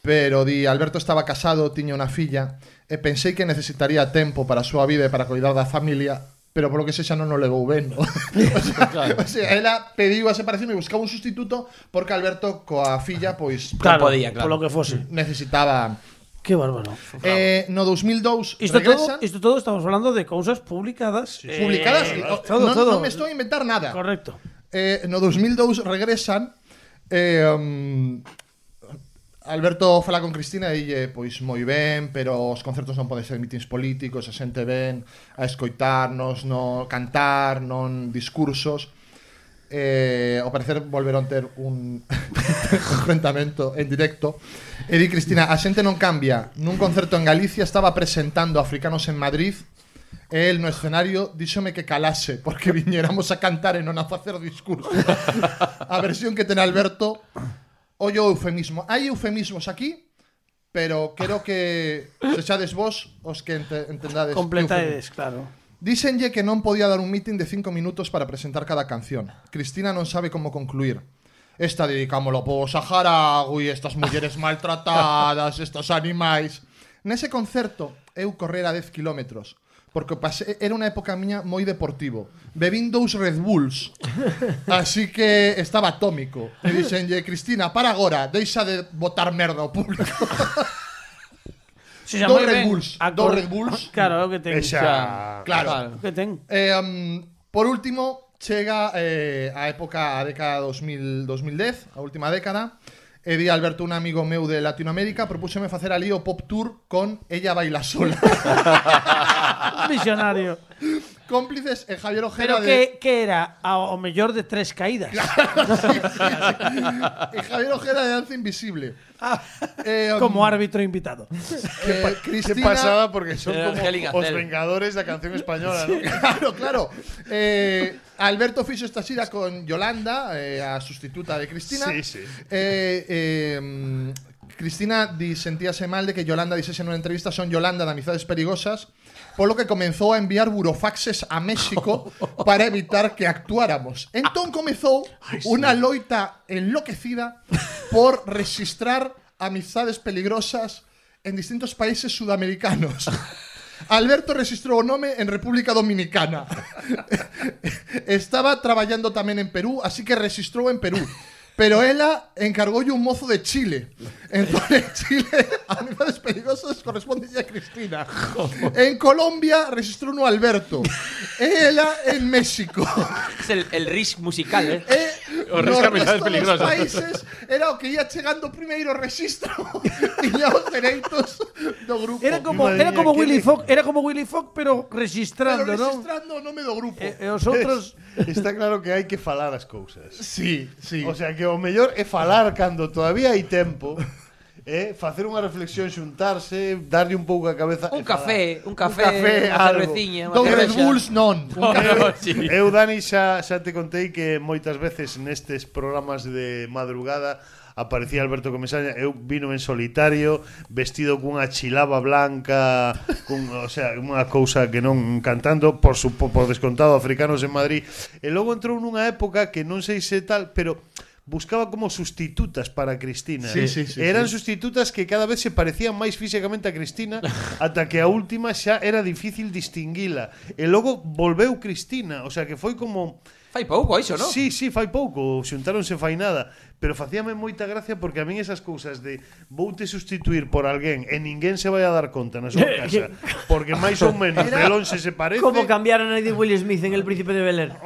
pero di Alberto estaba casado, tiña unha filla, e pensei que necesitaría tempo para a súa vida e para cuidar da familia, pero polo que sexa non o levou ben, ¿no? o, sea, claro. o sea, ela pediu a separación e buscaba un sustituto porque Alberto coa filla, pois, Claro, podía, claro. polo que fose. necesitaba... Que bárbaro. Eh, no dos mil dous Isto regresan... todo, isto todo estamos hablando de cousas publicadas. Sí. Publicadas, Eh, no, todo, no, todo. non me estou a inventar nada. Correcto. Eh, no dos mil dous regresan eh, um, Alberto fala con Cristina e dille, pois moi ben, pero os concertos non poden ser mítins políticos, a xente ven a escoitarnos, no cantar, non discursos. Eh, ao parecer volveron ter un enfrentamento en directo. E di Cristina, a xente non cambia. Nun concerto en Galicia estaba presentando Africanos en Madrid e el no escenario díxome que calase porque viñéramos a cantar e non a facer discurso. A versión que ten Alberto, ollo eufemismo. Hai eufemismos aquí, pero quero que sexades vos os que ente entendades. Completades, claro. Díxenlle que non podía dar un meeting de cinco minutos para presentar cada canción. Cristina non sabe como concluir. Esta dedicámoslo po Saharaui, estas mulleres maltratadas, estos animais. Nese concerto eu correra dez kilómetros, porque pasé, era unha época miña moi deportivo. Bebín dous Red Bulls, así que estaba atómico. E dixenlle, Cristina, para agora, deixa de botar merda ao público. Si Dos Red Bulls, dos Red Bulls. Claro, é o que ten. Esa... Claro. O que ten. Eh, um, por último, chega eh, a época, a década dos mil, dos mil dez, a última década, e di Alberto, un amigo meu de Latinoamérica, propúxeme facer ali o pop tour con Ella Baila Sola. Visionario. Cómplices e Javier Ojeda Pero de... que, que era ao mellor de tres caídas. sí, sí, sí. E Javier Ojeda de Danza Invisible. Ah, Eh, um, como árbitro invitado. eh, Qué Cristina... pasada, porque son Era como Angélica os Cel. vengadores da canción española, ¿no? Claro, claro. Eh, Alberto fixo esta xira con Yolanda, eh, a sustituta de Cristina. Sí, sí. Eh, eh, mm, Cristina di, sentíase mal de que Yolanda dixese nunha entrevista son Yolanda de Amizades Perigosas, polo que comenzou a enviar burofaxes a México para evitar que actuáramos. Entón comezou unha loita enloquecida por registrar amizades peligrosas en distintos países sudamericanos. Alberto registrou o nome en República Dominicana. Estaba traballando tamén en Perú, así que registrou en Perú. Pero ela encargoulle un mozo de Chile. Entón, en Chile, amizades perigosas corresponde a Cristina. En Colombia registrou no Alberto. E ela en México. Es el, el risk musical, ¿eh? E O no risco amizades resto dos peligrosas. países era o que ia chegando primeiro registro tiña os dereitos do grupo. Era como, Madre era mía, como que Willy le- Fogg, era como Willy Fogg, pero Pero registrando, non? registrando o nome do grupo. E, e os outros Está claro que hai que falar as cousas. Sí, sí. O sea, que o mellor é falar cando todavía hai tempo, é facer unha reflexión, xuntarse, darlle un pouco a cabeza Un e falar. café, un café, un café unha algo. cerveciña, unha Dos Red cervexa. Bulls non. Un café. Eu, Dani, xa, xa te contei que moitas veces nestes programas de madrugada aparecía Alberto Comesaña, eu vino en solitario, vestido cunha chilaba blanca, cun, o sea, unha cousa que non cantando, por, su, por descontado, Africanos en Madrid. E logo entrou nunha época que non sei se tal, pero buscaba como sustitutas para Cristina. Sí, sí, sí, Eran sí. sustitutas que cada vez se parecían máis físicamente a Cristina ata que a última xa era difícil distinguila. E logo volveu Cristina, o sea que foi como Fai pouco iso, non? Sí, sí, fai pouco, xuntáronse fai nada, pero facíame moita gracia porque a min esas cousas de voute sustituir por alguén e ninguén se vai a dar conta na súa casa, porque máis ou menos de lonxe se parece. Como cambiaron a de Will Smith en El Príncipe de Bel-Air.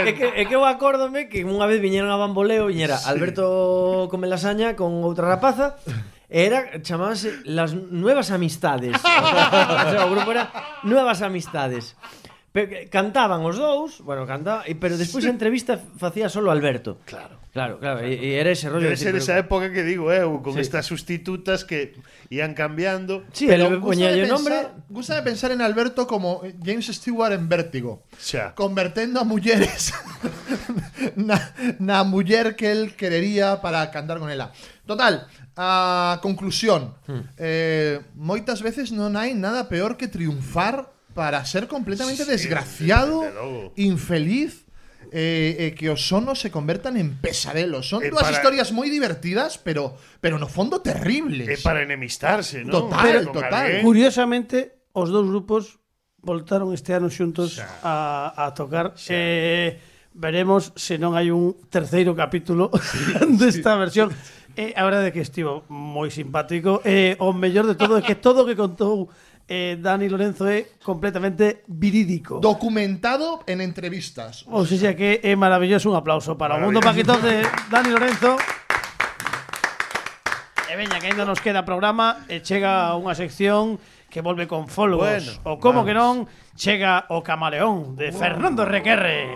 É que, é que eu acórdome que unha vez viñeron a Bamboleo, viñera Alberto come lasaña con outra rapaza. Era, chamábase Las Nuevas Amistades. O sea, o grupo era Nuevas Amistades. Pero cantaban os dous, bueno, cantaba, pero despois a entrevista facía solo Alberto. Claro. Claro, claro, e, e era ese rollo. Debe ser pero... esa época que digo, eu, con sí. estas sustitutas que ian cambiando. Sí, pero poñía o nombre. Gusta de pensar en Alberto como James Stewart en Vértigo. Xa. Convertendo a mulleres na, na muller que él querería para cantar con ela. Total, a conclusión. Hmm. Eh, moitas veces non hai nada peor que triunfar para ser completamente sí, desgraciado, infeliz, eh, eh, que os sonos se convertan en pesadelos. Son eh, dúas para... historias moi divertidas, pero pero no fondo terribles. É para enemistarse, ¿no? Total, pero, total. Curiosamente, os dous grupos voltaron este ano xuntos a, a tocar. Eh, veremos se non hai un terceiro capítulo desta sí. versión. Eh, a verdade é que estivo moi simpático. Eh, o mellor de todo é que todo o que contou Eh, Dani Lorenzo é completamente verídico. Documentado en entrevistas. O sea que é maravilloso, un aplauso para o mundo paquetón de Dani Lorenzo. E veña, que ainda nos queda programa e chega unha sección que volve con followers. Bueno, o como vamos. Que non, chega o Camaleón de wow. Fernando Requerre.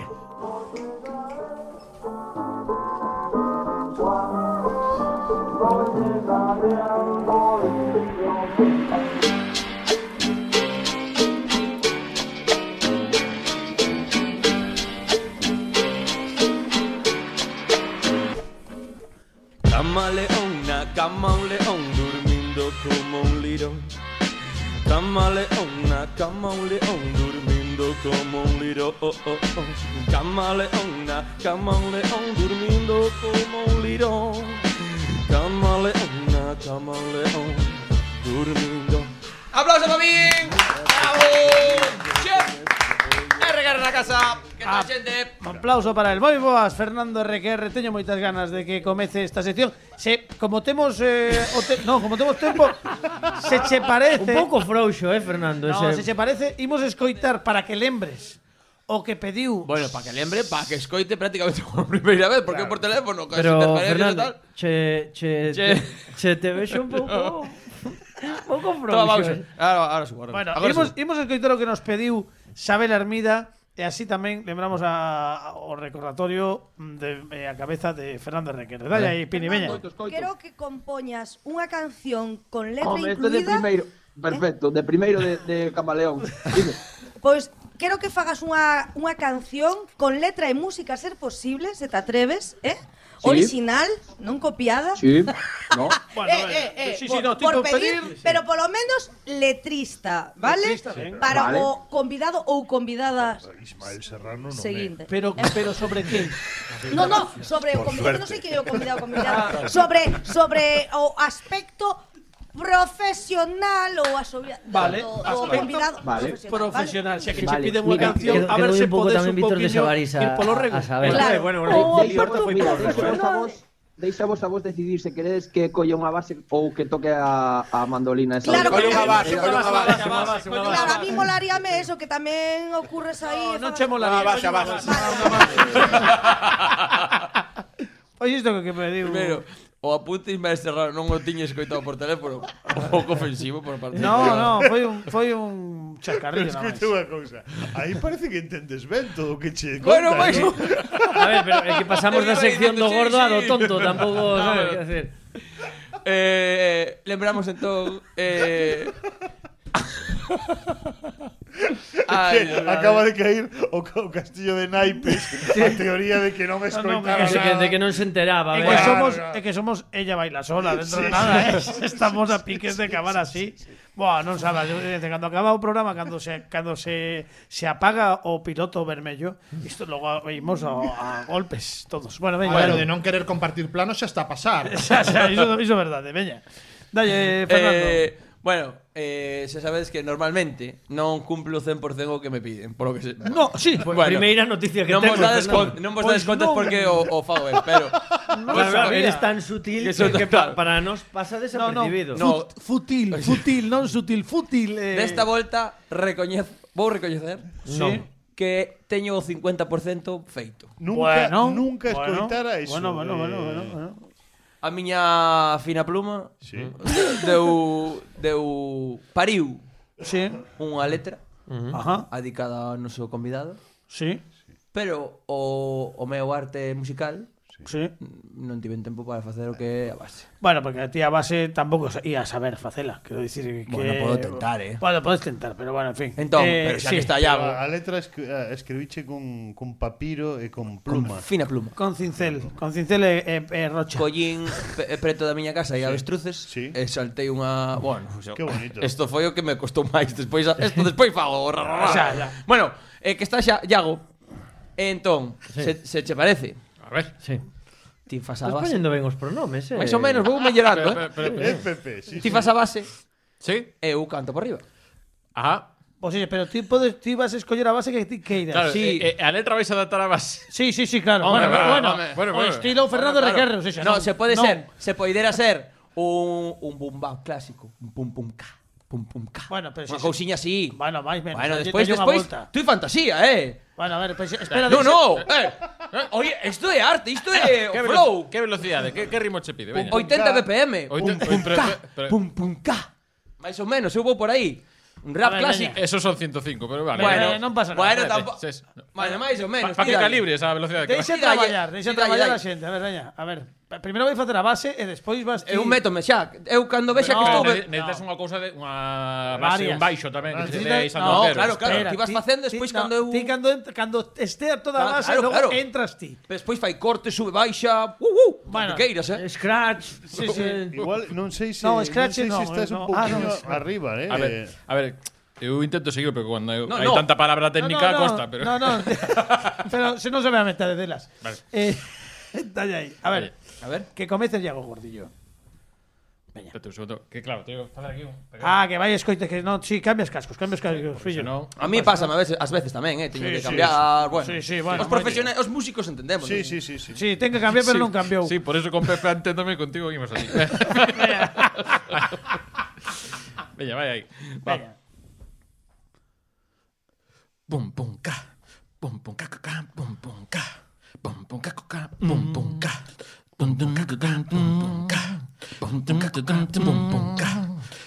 Camaleón, na cama un león, durmiendo como un lirón. Camaleón, na cama un león, durmiendo como un lirón. Oh, oh, oh. Camaleón, na cama un león, durmiendo como un lirón. Camaleón, na cama un león, durmiendo. ¡Aplauso para mí! ¡Bravo! ¡Chef! R na casa. Que tal, xente? Un aplauso para el. Moi boas, Fernando R Q R. Teño moitas ganas de que comece esta sección. Se, como temos eh, o te, no, como temos tempo, se che parece un pouco frouxo, eh, Fernando, no, ese. se che parece, imos escoitar para que lembres o que pediu. Bueno, para que lembre, para que escoite prácticamente por primeira vez, porque claro. Por teléfono, casi pero Fernando, che, che, che, che te vexo un pouco un pouco frouxo. Eh. Ahora, ahora subo. Bueno, imos, imos escoitar o que nos pediu Xabel Armida. E así tamén lembramos a, a, o recordatorio de, de a cabeza de Fernando Requerre. Dale aí, Pini, veña. Quero que compoñas unha canción con letra Home, incluída. de primeiro, perfecto, eh? de primeiro de, de Camaleón. Pois quero que fagas unha, unha canción con letra e música, a ser posible, se te atreves, eh? Sí. Original, non copiada. Sí, no. Bueno, eh, eh, eh, sí, sí, por, no, por pedir, pedir, pero polo menos letrista, ¿vale? Letrista, para vale. O convidado ou convidada Ismael Serrano non seguinte. É. Pero, pero sobre que? No, no, sobre o convidado, non sei que é o convidado, convidado. sobre, sobre o aspecto profesional ou asobia vale, do, do convidado vale. Profesional, xa que vale. che piden unha canción, a ver se podes un poquinho ir polo rego. A saber. Claro. Bueno, bueno, oh, mira, deixa a vos, deixa vos a vos decidir se queredes que colle unha base ou que toque a, a mandolina esa. Claro, colle unha base, colle unha base. Claro, a mí molaríame eso, que tamén ocurres aí. Non che molaría. Unha base, a base. Oye, isto que pediu. Primero, o apunte Ismael Serrano non o tiña escoitado por teléfono. Un pouco ofensivo por parte. No, no, foi un foi un chacarrillo nada máis. Escoite unha cousa. Aí parece que entendes ben todo o que che conta. Bueno, pois. ¿no? A ver, pero é que pasamos da sección do gordo a do tonto, tampouco, sabes que hacer. Eh, lembramos entón eh Ay, que acaba de caer o, o castillo de naipes sí. A teoría de que non me escoitaba no, no, que, de que non se enteraba. É que somos, é que somos ella baila sola dentro sí, de nada, sí, eh. Estamos a piques de acabar así. Sí, sí, sí. Buah, non sabes, cando acaba o programa, cando se cando se se apaga o piloto vermello, isto logo veimos a, a golpes todos. Bueno, veña. Bueno, de non querer compartir planos xa está a pasar. Xa, xa, iso, iso é verdade, veña. Dalle, Fernando. Eh, Bueno, eh, xa sabedes que normalmente non cumplo cen por cento o que me piden, por lo que se... No, sí. Pues bueno, primeira noticia que non tengo. Vos dades con, non vos dades Pues contas non. porque o, o fago ben, pero... No, claro, eres tan sutil que, Que son- que claro. pa, para nos pasa No, no, desapercibido. No. fut- futil, futil, non sutil, fútil. Eh. Desta volta, recoñez, vou recoñecer Sí. que teño o cincuenta por cento feito. Nunca, Bueno, nunca bueno, escoitara eso. Bueno, bueno, eh, bueno, bueno, bueno. A miña fina pluma Sí. deu, deu pariu Sí. unha letra Ajá. dedicada ao noso convidado, Sí. pero o, o meu arte musical Sí. non tiven tempo para facer o que é a base. Bueno, porque a ti a base tampouco ia a saber facela. Quero dicir que... Bueno, podo tentar, eh. Bueno, podes tentar, pero bueno, en fin. Entón, Eh, pero xa sí. que está Pero Iago, a letra escri a escribiche con, con papiro e con pluma. fina pluma. Con cincel, con cincel e, e, e rocha. Collín pe- preto da miña casa e a avestruces Sí. e saltei unha, bueno, xo- Qué bonito. Isto foi o que me costou máis despois, a- isto despois fago. ra, ra, ra. Xa, xa. Bueno, eh, que está xa Iago. Entón, se, se che parece? A ver. Sí. Ti fas a Estás base. poñendo ben os pronomes, eh. Mais ou menos, vou mellorando, Pero, eh. pero, pero, Eh, pero, Pepe, sí, Ti sí. fas a base sí. e eu canto por riba. Ajá. Pues sí, pero ti podes, ti vas a escoller a base que ti queiras. Claro, Sí. eh, eh, a letra vais a adaptar a base. Sí, sí, sí, claro. Hombre, bueno, bueno, bueno, hombre. Bueno, o bueno. estilo Fernando Bueno, claro. Requerro, sí, xa, No, non. se pode Non. ser, se poidera ser un un boom bap clásico, un pum pum ca, pum pum ca. Bueno, pero Unha si- cousiña así. Bueno, máis menos. Bueno, Oye, despois teño unha despois, volta. tú fantasía, eh. Bueno, a ver, pues, espera. No, deixa- no, eh. Oye, isto é arte, isto é o Que flow. velo- Que velocidade, que, que ritmo che pide? Veña. oitenta B P M. Oiten- Pum, pum, pero- ca, pero- pum, pum, ca. Mais ou menos, eu vou por aí. Un A rap ver, clásico. Esos son ciento cinco, pero vale. Bueno, Eh, non pasa nada. Bueno, Vale, tampoco. sí, sí. Bueno, máis ou menos. Para ti que dalle. calibre esa velocidade que Deixa Sí, dalle, traballar, deixa sí, traballar dalle, a xente. A ver, veña, a ver. Primeiro vai facer a base e despois vas ti. Eu métome xa. Eu cando vexa que No, estou... Ne- Necesitas unha cousa de unha base, Varias. un baixo tamén, que se Necesitas- dé Santo No, Antero. claro, claro. Espera, ti vas facendo, despois ti- cando no, eu- Ti cando, ent- cando estea toda a Claro, base, claro, logo claro. entras ti. Despois fai corte, sube, baixa. Uh, uh. Bueno. que queiras, eh. Scratch. Sí, sí. Igual non sei se No, non Scratch sei no, se estás no. un Ah, pouquinho no, arriba, eh. A ver, a ver, eu intento seguir, pero cando eu- No, hai no. tanta palabra técnica no, no, costa, pero No, no. Pero se non se ve a metade delas. Vale. Eh, dalle aí. A ver, A ver. que comece Iago Gordillo. Espérate un segundo, que claro, teño que facer aquí un Ah, que vai escoite que non, si, sí, cambias cascos, cambias cascos, fillo. no, A mí pasa a veces, ás veces tamén, eh, teño Sí, que sí, cambiar, bueno. Sí, sí, bueno, os profesionais, os músicos entendemos. Sí, ¿no? sí, sí, sí. Sí, ten que cambiar, pero Sí, non cambiou. Sí, por eso con Pepe enténdome contigo imos así. Veña, vai aí. Va. Veña. Pum pum ca. Pum pum ca ca ca. Pum pum ca. Pum pum ca ca ca. Pum pum ca. Pum pum ca ca ca. Pum pum ca. Pum pum ca ca ca. Pum pum ca.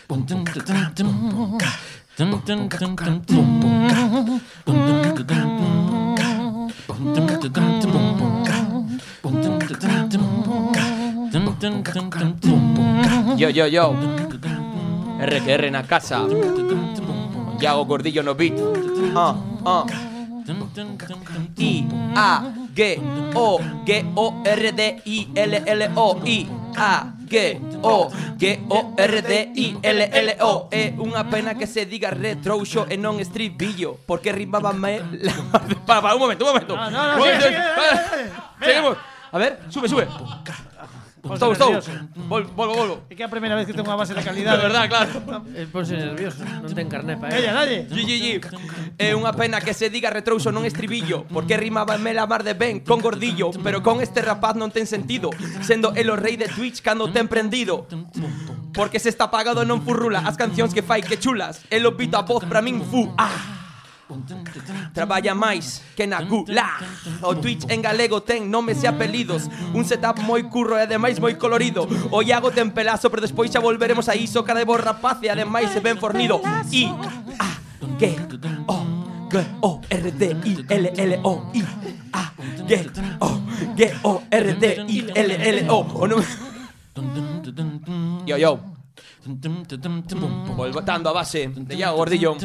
Pum pum ca ca ca. Pum pum ca. Pum pum ca ca ca. Pum pum ca. Pum pum ca ca ca. Pum pum ca. Pum pum ca ca ca. Pum pum ca. Pum pum ca ca ca. Pum pum ca. Pum pum ca ca ca. Pum pum ca. Yo, yo, yo. R que R na casa. Iago Gordillo no beat. Ah, ah. I, A, G, O, G, O, R, D, I, L, L, O, I, A, G, O, G, O, R, D, I, L, L, O. É unha pena que se diga retrouxo e non estribillo, porque rimaba-me la... Para, para, un momento, un momento. No, no, no, Un sigue, momento. sigue, dale, dale. Seguimos. A ver, sube, sube. Gustou, gustou. Volvo, volvo, volvo. É que é a primeira vez que tengo unha base de De calidade. verdad, claro. El ponse nervioso, non ten carné pa Ella, dalle. Gi, gi, gi. É unha pena que se diga retrouso non estribillo, porque rimaba la mar de ben con Gordillo, pero con este rapaz non ten sentido, sendo el o rei de Twitch cando ten prendido. Porque se está pagado non furrula as cancións que fai que chulas, el o pita a voz pra min fu. Ah. Traballa máis que na gula. O Twitch en galego ten nomes e apelidos, un setup moi curro e ademais moi colorido. O Iago ten pelazo, pero despois xa volveremos a iso. Cara de bo rapaz e ademais se ben fornido. I, A, G, O, G, O, R, D, I, L, L, O, I, A, G, O, G, O, R, D, I, L, L, O. O non... Yo, yo. Voltando a base de Iago Gordillo.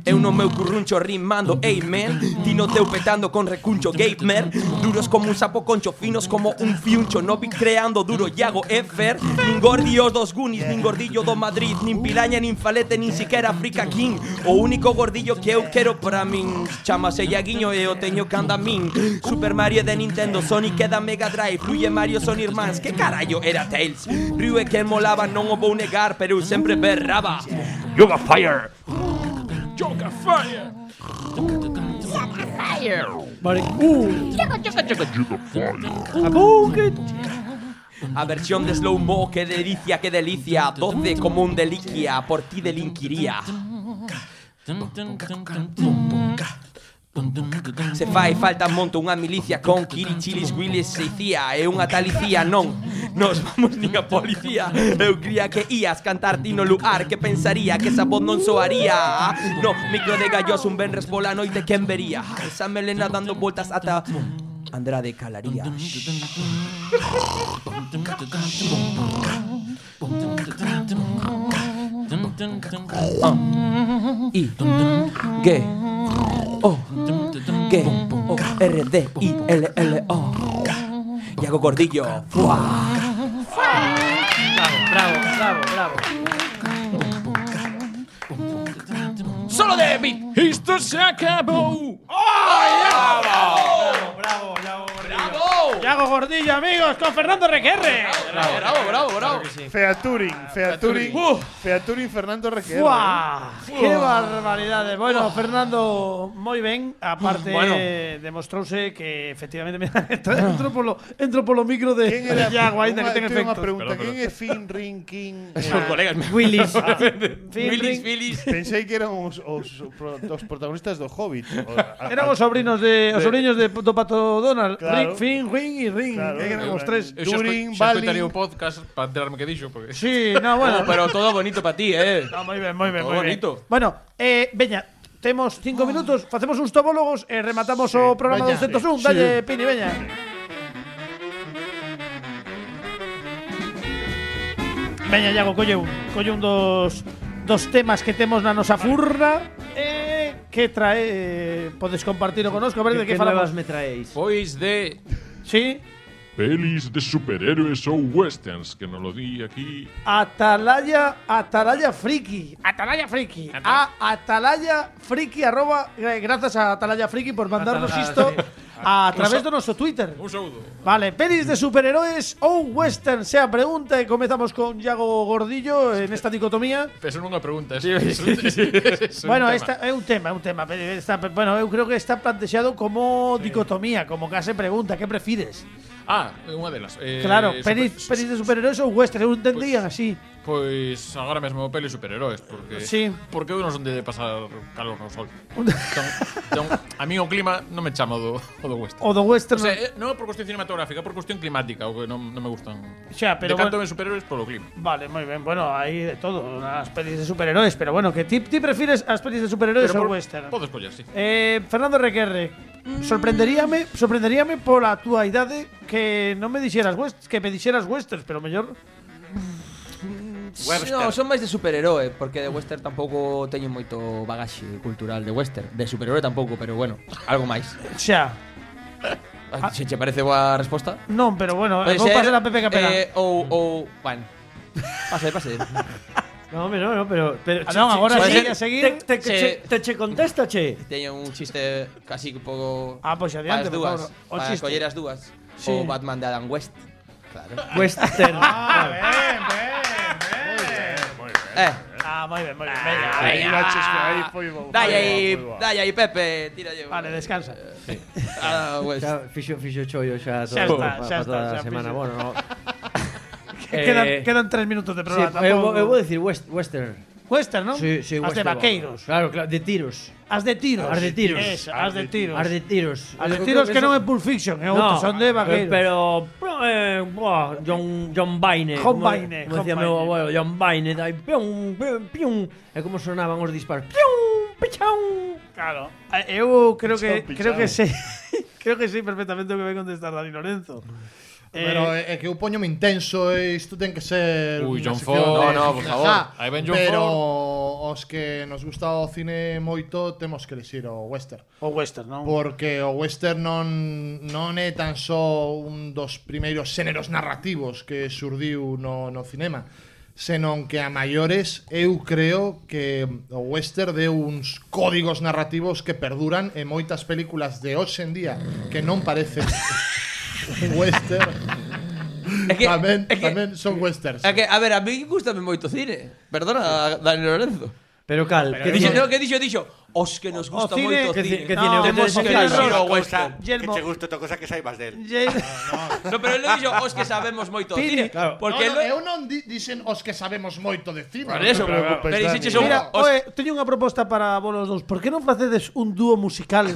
Eu no meu curruncho rimando amen, ti no teu petando con recuncho gamer, duros como un sapo concho, finos como un fiuncho, no vi creando duro Iago Efer, nin gordios dos Goonies, nin gordillo do Madrid, nin piraña, nin falete, nin siquera Africa King. O único gordillo que eu quero para min chamase Iaguiño e o teño que anda min. Super Mario de Nintendo, Sonic e da Mega Drive, Rui e Mario son irmáns, que carallo era Tails? Ryu e que molaba non o vou negar, pero eu sempre berraba Yoga Fire! Yoga Fire! Yoga Fire! Vale. Uh. Yoga Fire! Abuket. A versión de Slow Mo, que delicia, que delicia, doce como un deliquia, por ti delinquiría. Se fai falta monto unha milicia con Kirichilis, Willis e Icía e unha talicía, non nos vamos nin a policía. Eu cría que ías cantar ti no lugar, que pensaría que esa voz non soaría. No, micro de gallos un venres pola noite, quen vería esa melena dando voltas ata Andrade calaría. Ah. I G O G O R D I L L O Iago Gordillo. ¡Fua! Bravo, bravo, bravo, bravo. Solo de beat. Esto se acabó. ¡Oh, Bravo, bravo, Iago Gordillo. Iago Gordillo, amigos, con Fernando Requerre. Bravo, bravo, bravo, bravo. Featuring, featuring, featuring Fernando Requerre. ¡Fua! ¡Qué barbaridades! Bueno, Fernando, moi ben. Aparte, Bueno. demostrouse que efectivamente mira, entro polo entro polo micro de Quen era? Iago, aínda que ten Unha- teño unha efectos. pregunta, quen é Finn, Ring, King? Son colegas meus. Willis. Willis, Willis. Pensei que eran os, os, os protagonistas do Hobbit. O- a- Eran a- os sobrinos de, os de- sobriños de do Pato Donald, Claro. Ring, Finn, Ring e Ring, Claro, que eran eu- os tres. Eu xa Turing, esco- xa Balin. escoitaría o podcast para enterarme que dixo, porque Sí, no, bueno, Oh, pero todo bonito para ti, eh. no, moi ben, moi ben, Todo moi ben. bonito. Bueno, eh, veña, temos cinco minutos, facemos uns topólogos e rematamos o programa veña, doscientos un. sí. Dalle, Pini, veña. Veña, Iago, colle un, colle un dos dos temas que temos na nosa furna eh, que trae, eh, podes compartilo conosco, a ver de Que que falamos. nuevas me traéis? pois de Sí, Pelis de superhéroes ou westerns, que non lo di aquí. Atalaya, Atalaya Friki. Atalaya Friki. A Atalaya Friki, arroba. eh, Gracias a Atalaya Friki por mandarnos Atalaya, isto sí. a través do noso Twitter. un saúdo. Vale, pelis de superheróis ou western, sea pregunta e comezamos con Iago Gordillo en esta dicotomía. Eso non é unha pregunta, es, es, un- es un Bueno, tema. esta é un tema, é un tema. pero Está, bueno, eu creo que está plantexado como dicotomía, como case pregunta, que prefires? Ah, unha delas. Eh, Claro, super- pelis, pelis de superheróis ou western, eu entendían así. Pois agora mesmo peli superheróis, porque Sí. porque eu non son de pasar calor no sol. Entón, entón, a mí o clima non me chama o do, o do western. O do western. O sea, eh, non é por cuestión cinematográfica, é por cuestión climática, o que non, non me gustan. Xa, pero Decanto bueno. en superhéroes polo clima. Vale, muy bien. Bueno, hay de todo, las pelis de superhéroes, pero bueno, que ti, ti prefieres las pelis de superhéroes Pero o por- western? Podes coller, sí. Eh, Fernando Requerre, sorprenderíame, sorprenderíame pola túa idade que non me dixeras west, que me dixeras westerns, pero mellor No, son máis de superheroe, porque de western tampouco teño moito bagaxe cultural de western. De superheroe tampouco, pero bueno, algo máis. xa. Ah, Se che parece boa resposta? Non, pero bueno, Pode vou ser, pasar a Pepe Capela. eh, ou, ou, bueno. Pase, pase. No, hombre, no, no, pero, pero Ah, non, agora Puede sí, ser- a seguir. te, te, Che- che, te che contesta, che. Teño un chiste casi un pouco Ah, pois adiante, para as por dúas, favor. O para chiste. coller as dúas. Sí. O Batman de Adam West. Claro. Western. Ah, ben, ben, Eh, Ah, moi ben, moi ben. Aí, Veña, aí, veña. aí foi bo. dalle aí, foi bo, foi bo. dalle aí, Pepe, tira yo. Vale, descansa. Ah, West. Xa fixo, fixo chollo xa todo Xa está, pa, xa pa está, toda xa a semana. fixo. Bueno, no. quedan, Eh, quedan tres minutos de Sí, programa. eu, tampouco- eu vou decir west, western. Western, non? Sí, sí, As de western. vaqueiros. Claro, claro, de tiros. As de tiros. As de tiros. Eso, as de tiros. As de tiros. As de Eu tiros creo que non é eso- Pulp Fiction, é No, outro, son de eh, vaqueiros. Pero, eh, buah, John, John Baine. John como- Baine, Como decía John meu Baine. abuelo, John Baine. Dai, pium, pium, pium. E como sonaban os disparos. Pium, pichau. Claro. Eh, Eu creo que Pichao, creo que pichao. sei. Creo que sei perfectamente o que vai contestar Dani Lorenzo. Pero Eh, é que eu poñome intenso e isto ten que ser Ui, unha John sección Ford. de- No, no, por favor. Ajá, Aí ven John pero Ford. o os que nos gusta o cine moito temos que elixir o western. O western, non? Porque o western non, non é tan só un dos primeiros xéneros narrativos que surdiu no, no cinema, senón que a maiores eu creo que o western deu uns códigos narrativos que perduran e moitas películas de hoxe en día que non parecen western É que, tamén, é que, tamén son westerns. É que, a ver, a mí gustame moito cine. Perdona, Dani Lorenzo. Pero cal, que dixo, no, que dixo, dixo, os que nos gusta moito o cine. Que cine, que Temos te que dixo o western. Que che guste outra cosa que saibas del. No, pero ele dixo os que sabemos moito o cine. Porque no, no, eu non di, dixen os que sabemos moito de cine. Por eso, pero dixeches un... Mira, oe, teño unha proposta para vos os dous. Por que non facedes un dúo musical?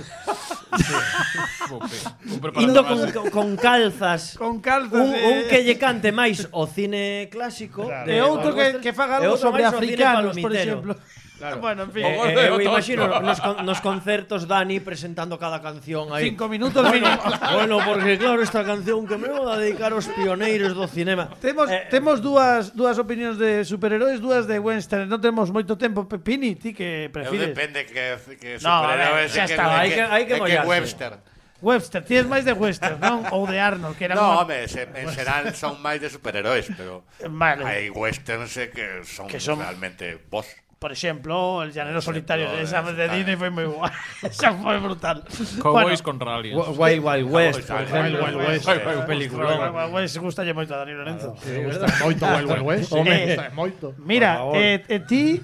Indo con, con, con calzas. Con calzas. Un, eh. un que lle cante máis o cine clásico. Claro. E outro que, que faga algo sobre africanos, por exemplo. Claro. Bueno, en fin. Eh, eh, eu imagino nos, con, nos concertos Dani presentando cada canción aí. Cinco minutos mínimo. Bueno, porque claro, esta canción que me vou a dedicar aos pioneiros do cinema. Temos, eh, temos dúas, dúas opinións de superheróis, dúas de western. Non temos moito tempo. Pini, ti que prefires? Eu depende que, que No, superhéroes xa que, está, que, hai que- hai que que, que mollarse. western. Webster, tienes máis de western, non? Ou de Arnold, que era No, unha- home, se, en xeral son máis de superheróis, pero Vale. hai westerns eh, que son, Que son- realmente vos. Por exemplo, El Llanero Solitario. ejemplo, Esa de está- Disney foi moi guai. Esa foi brutal. Cowboys contra aliens. Wild Wild West, por Wild exemplo. Wild West. Wild Wild Peliculón. Wild Wild West gustalle moito a Dani Lorenzo. Moito Wild Wild West. Home. Gusta moito. Mira, eh, eh, ti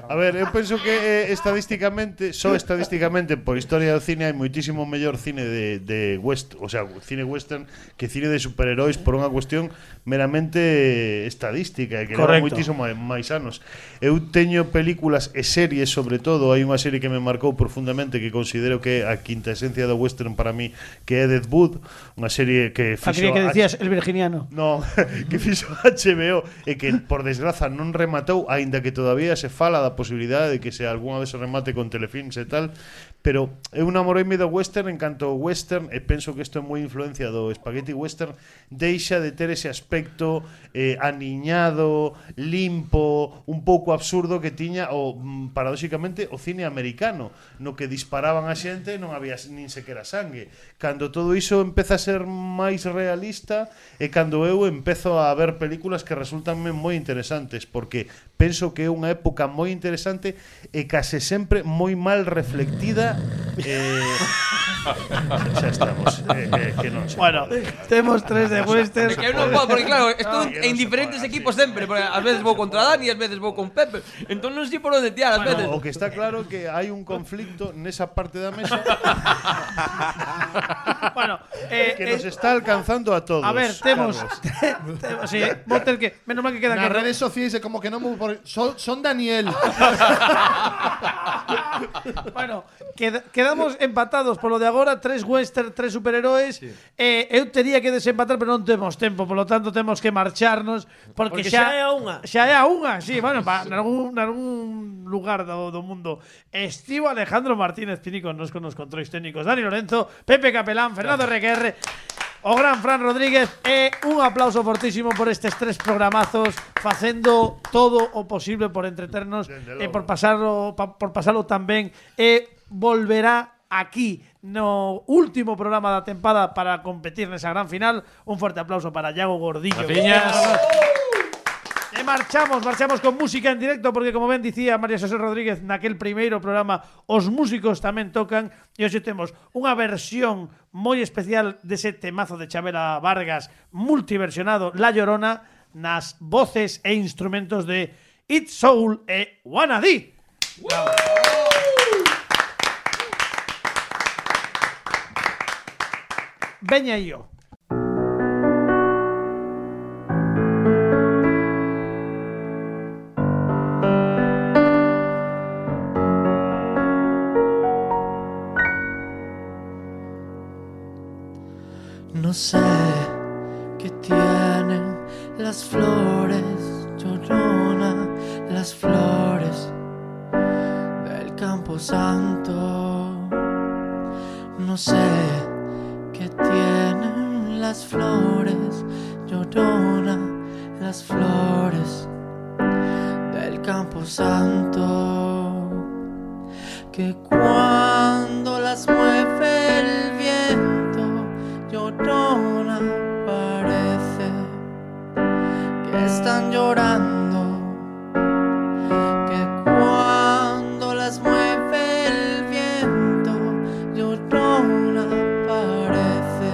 A ver, eu penso que eh, estadísticamente, só estadísticamente por historia do cine hai moitísimo mellor cine de, de west, o sea, cine western que cine de superheróis por unha cuestión meramente estadística e que leva Correcto. moitísimo máis anos. Eu teño películas e series, sobre todo, hai unha serie que me marcou profundamente que considero que é a quinta esencia do western para mí, que é Dead Wood, unha serie que a fixo que H- decías El Virginiano. No, que fixo H B O e que por desgraza non rematou, aínda que todavía se fala da posibilidade de que se algunha vez se remate con telefilms e tal, pero eu namoreime do western en canto ao western e penso que isto é moi influencia do spaghetti western, deixa de ter ese aspecto eh, aniñado, limpo, un pouco absurdo que tiña o mm, paradóxicamente o cine americano, no que disparaban a xente e non había nin sequera sangue. Cando todo iso empeza a ser máis realista e cando eu empezo a ver películas que resultanme moi interesantes, porque penso que é unha época moi interesante e case sempre moi mal reflectida. eh, xa estamos eh, eh, que non sei. Bueno, temos tres de western. É que eu non podo, porque claro, estou en diferentes equipos sempre, porque ás veces vou contra Dani, ás veces vou con Pepe. Entón non sei por onde tirar, ás veces. Bueno, o que está claro é que hai un conflicto nesa parte da mesa Bueno, eh, que eh, nos está alcanzando a todos. a ver, temos Carlos. temos sí, vou ter que, menos mal que queda Nas que redes sociais é como que non vou por... son, son Daniel. Bueno, queda, quedamos empatados polo de agora, tres western, tres superheróis. Sí. Eh, eu tería que desempatar, pero non temos tempo, polo tanto temos que marcharnos porque, Porque xa, xa é a unha. Xa é a unha, sí, bueno, pa, nalgún, nalgún lugar do, do mundo. Estivo Alejandro Martínez Pini con nos con os controis técnicos, Dani Lorenzo, Pepe Capelán, Fernando R Q R, o gran Fran Rodríguez, e un aplauso fortísimo por estes tres programazos, facendo todo o posible por entreternos e por pasarlo pa, por pasarlo tan ben, e volverá aquí no último programa da tempada para competir nesa gran final. Un forte aplauso para Iago Gordillo. Graciñas. E marchamos, marchamos con música en directo, porque como ben dicía María Xosé Rodríguez naquel primeiro programa, os músicos tamén tocan, e hoxe temos unha versión moi especial dese temazo de Chabela Vargas, multiversionado, La Llorona, nas voces e instrumentos de It's Soul e Wanna Dee. Veña aí yo. No sé qué tienen las flores, Llorona, las flores del Campo Santo. No sé qué tienen las flores, Llorona, las flores del camposanto, que cuando las mueve el viento, llorona parece que están llorando, que cuando las mueve el viento, llorona parece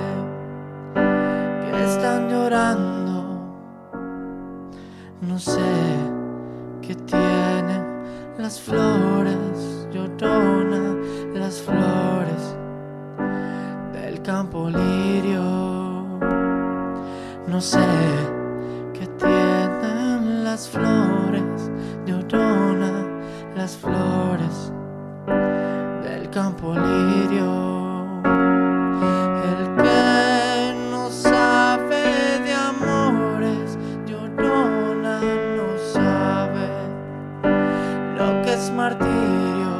que están llorando. No sé qué tienen las flores, llorona, las flores del campo lirio. No sé qué tienen las flores, llorona, las flores del campo lirio. El que no sabe de amores, llorona, no sabe lo que es martirio.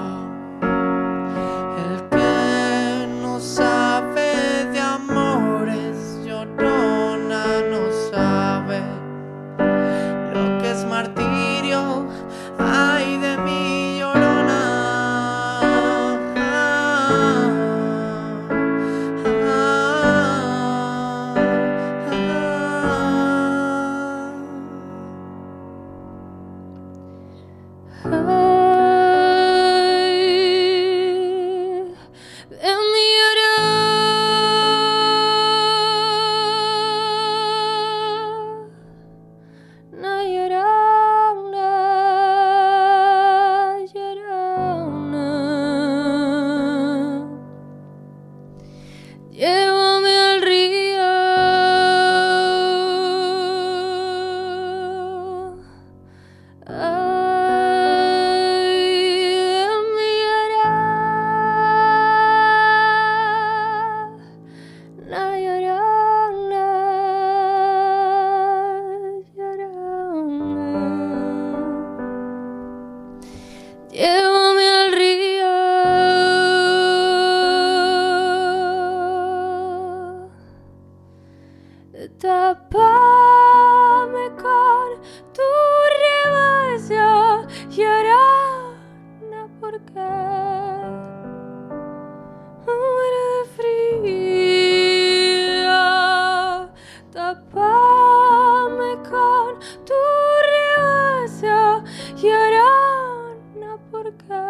El que no sabe de amores, llorona, no sabe lo que es martirio. Ay de mí, llorona. Llévame al río, ay, de mi llorona, llorona, llorona. Llévame al río, tápame con tu rebaño, llorona, porque muero de frío. Tápame con tu rebaño, llorona, porque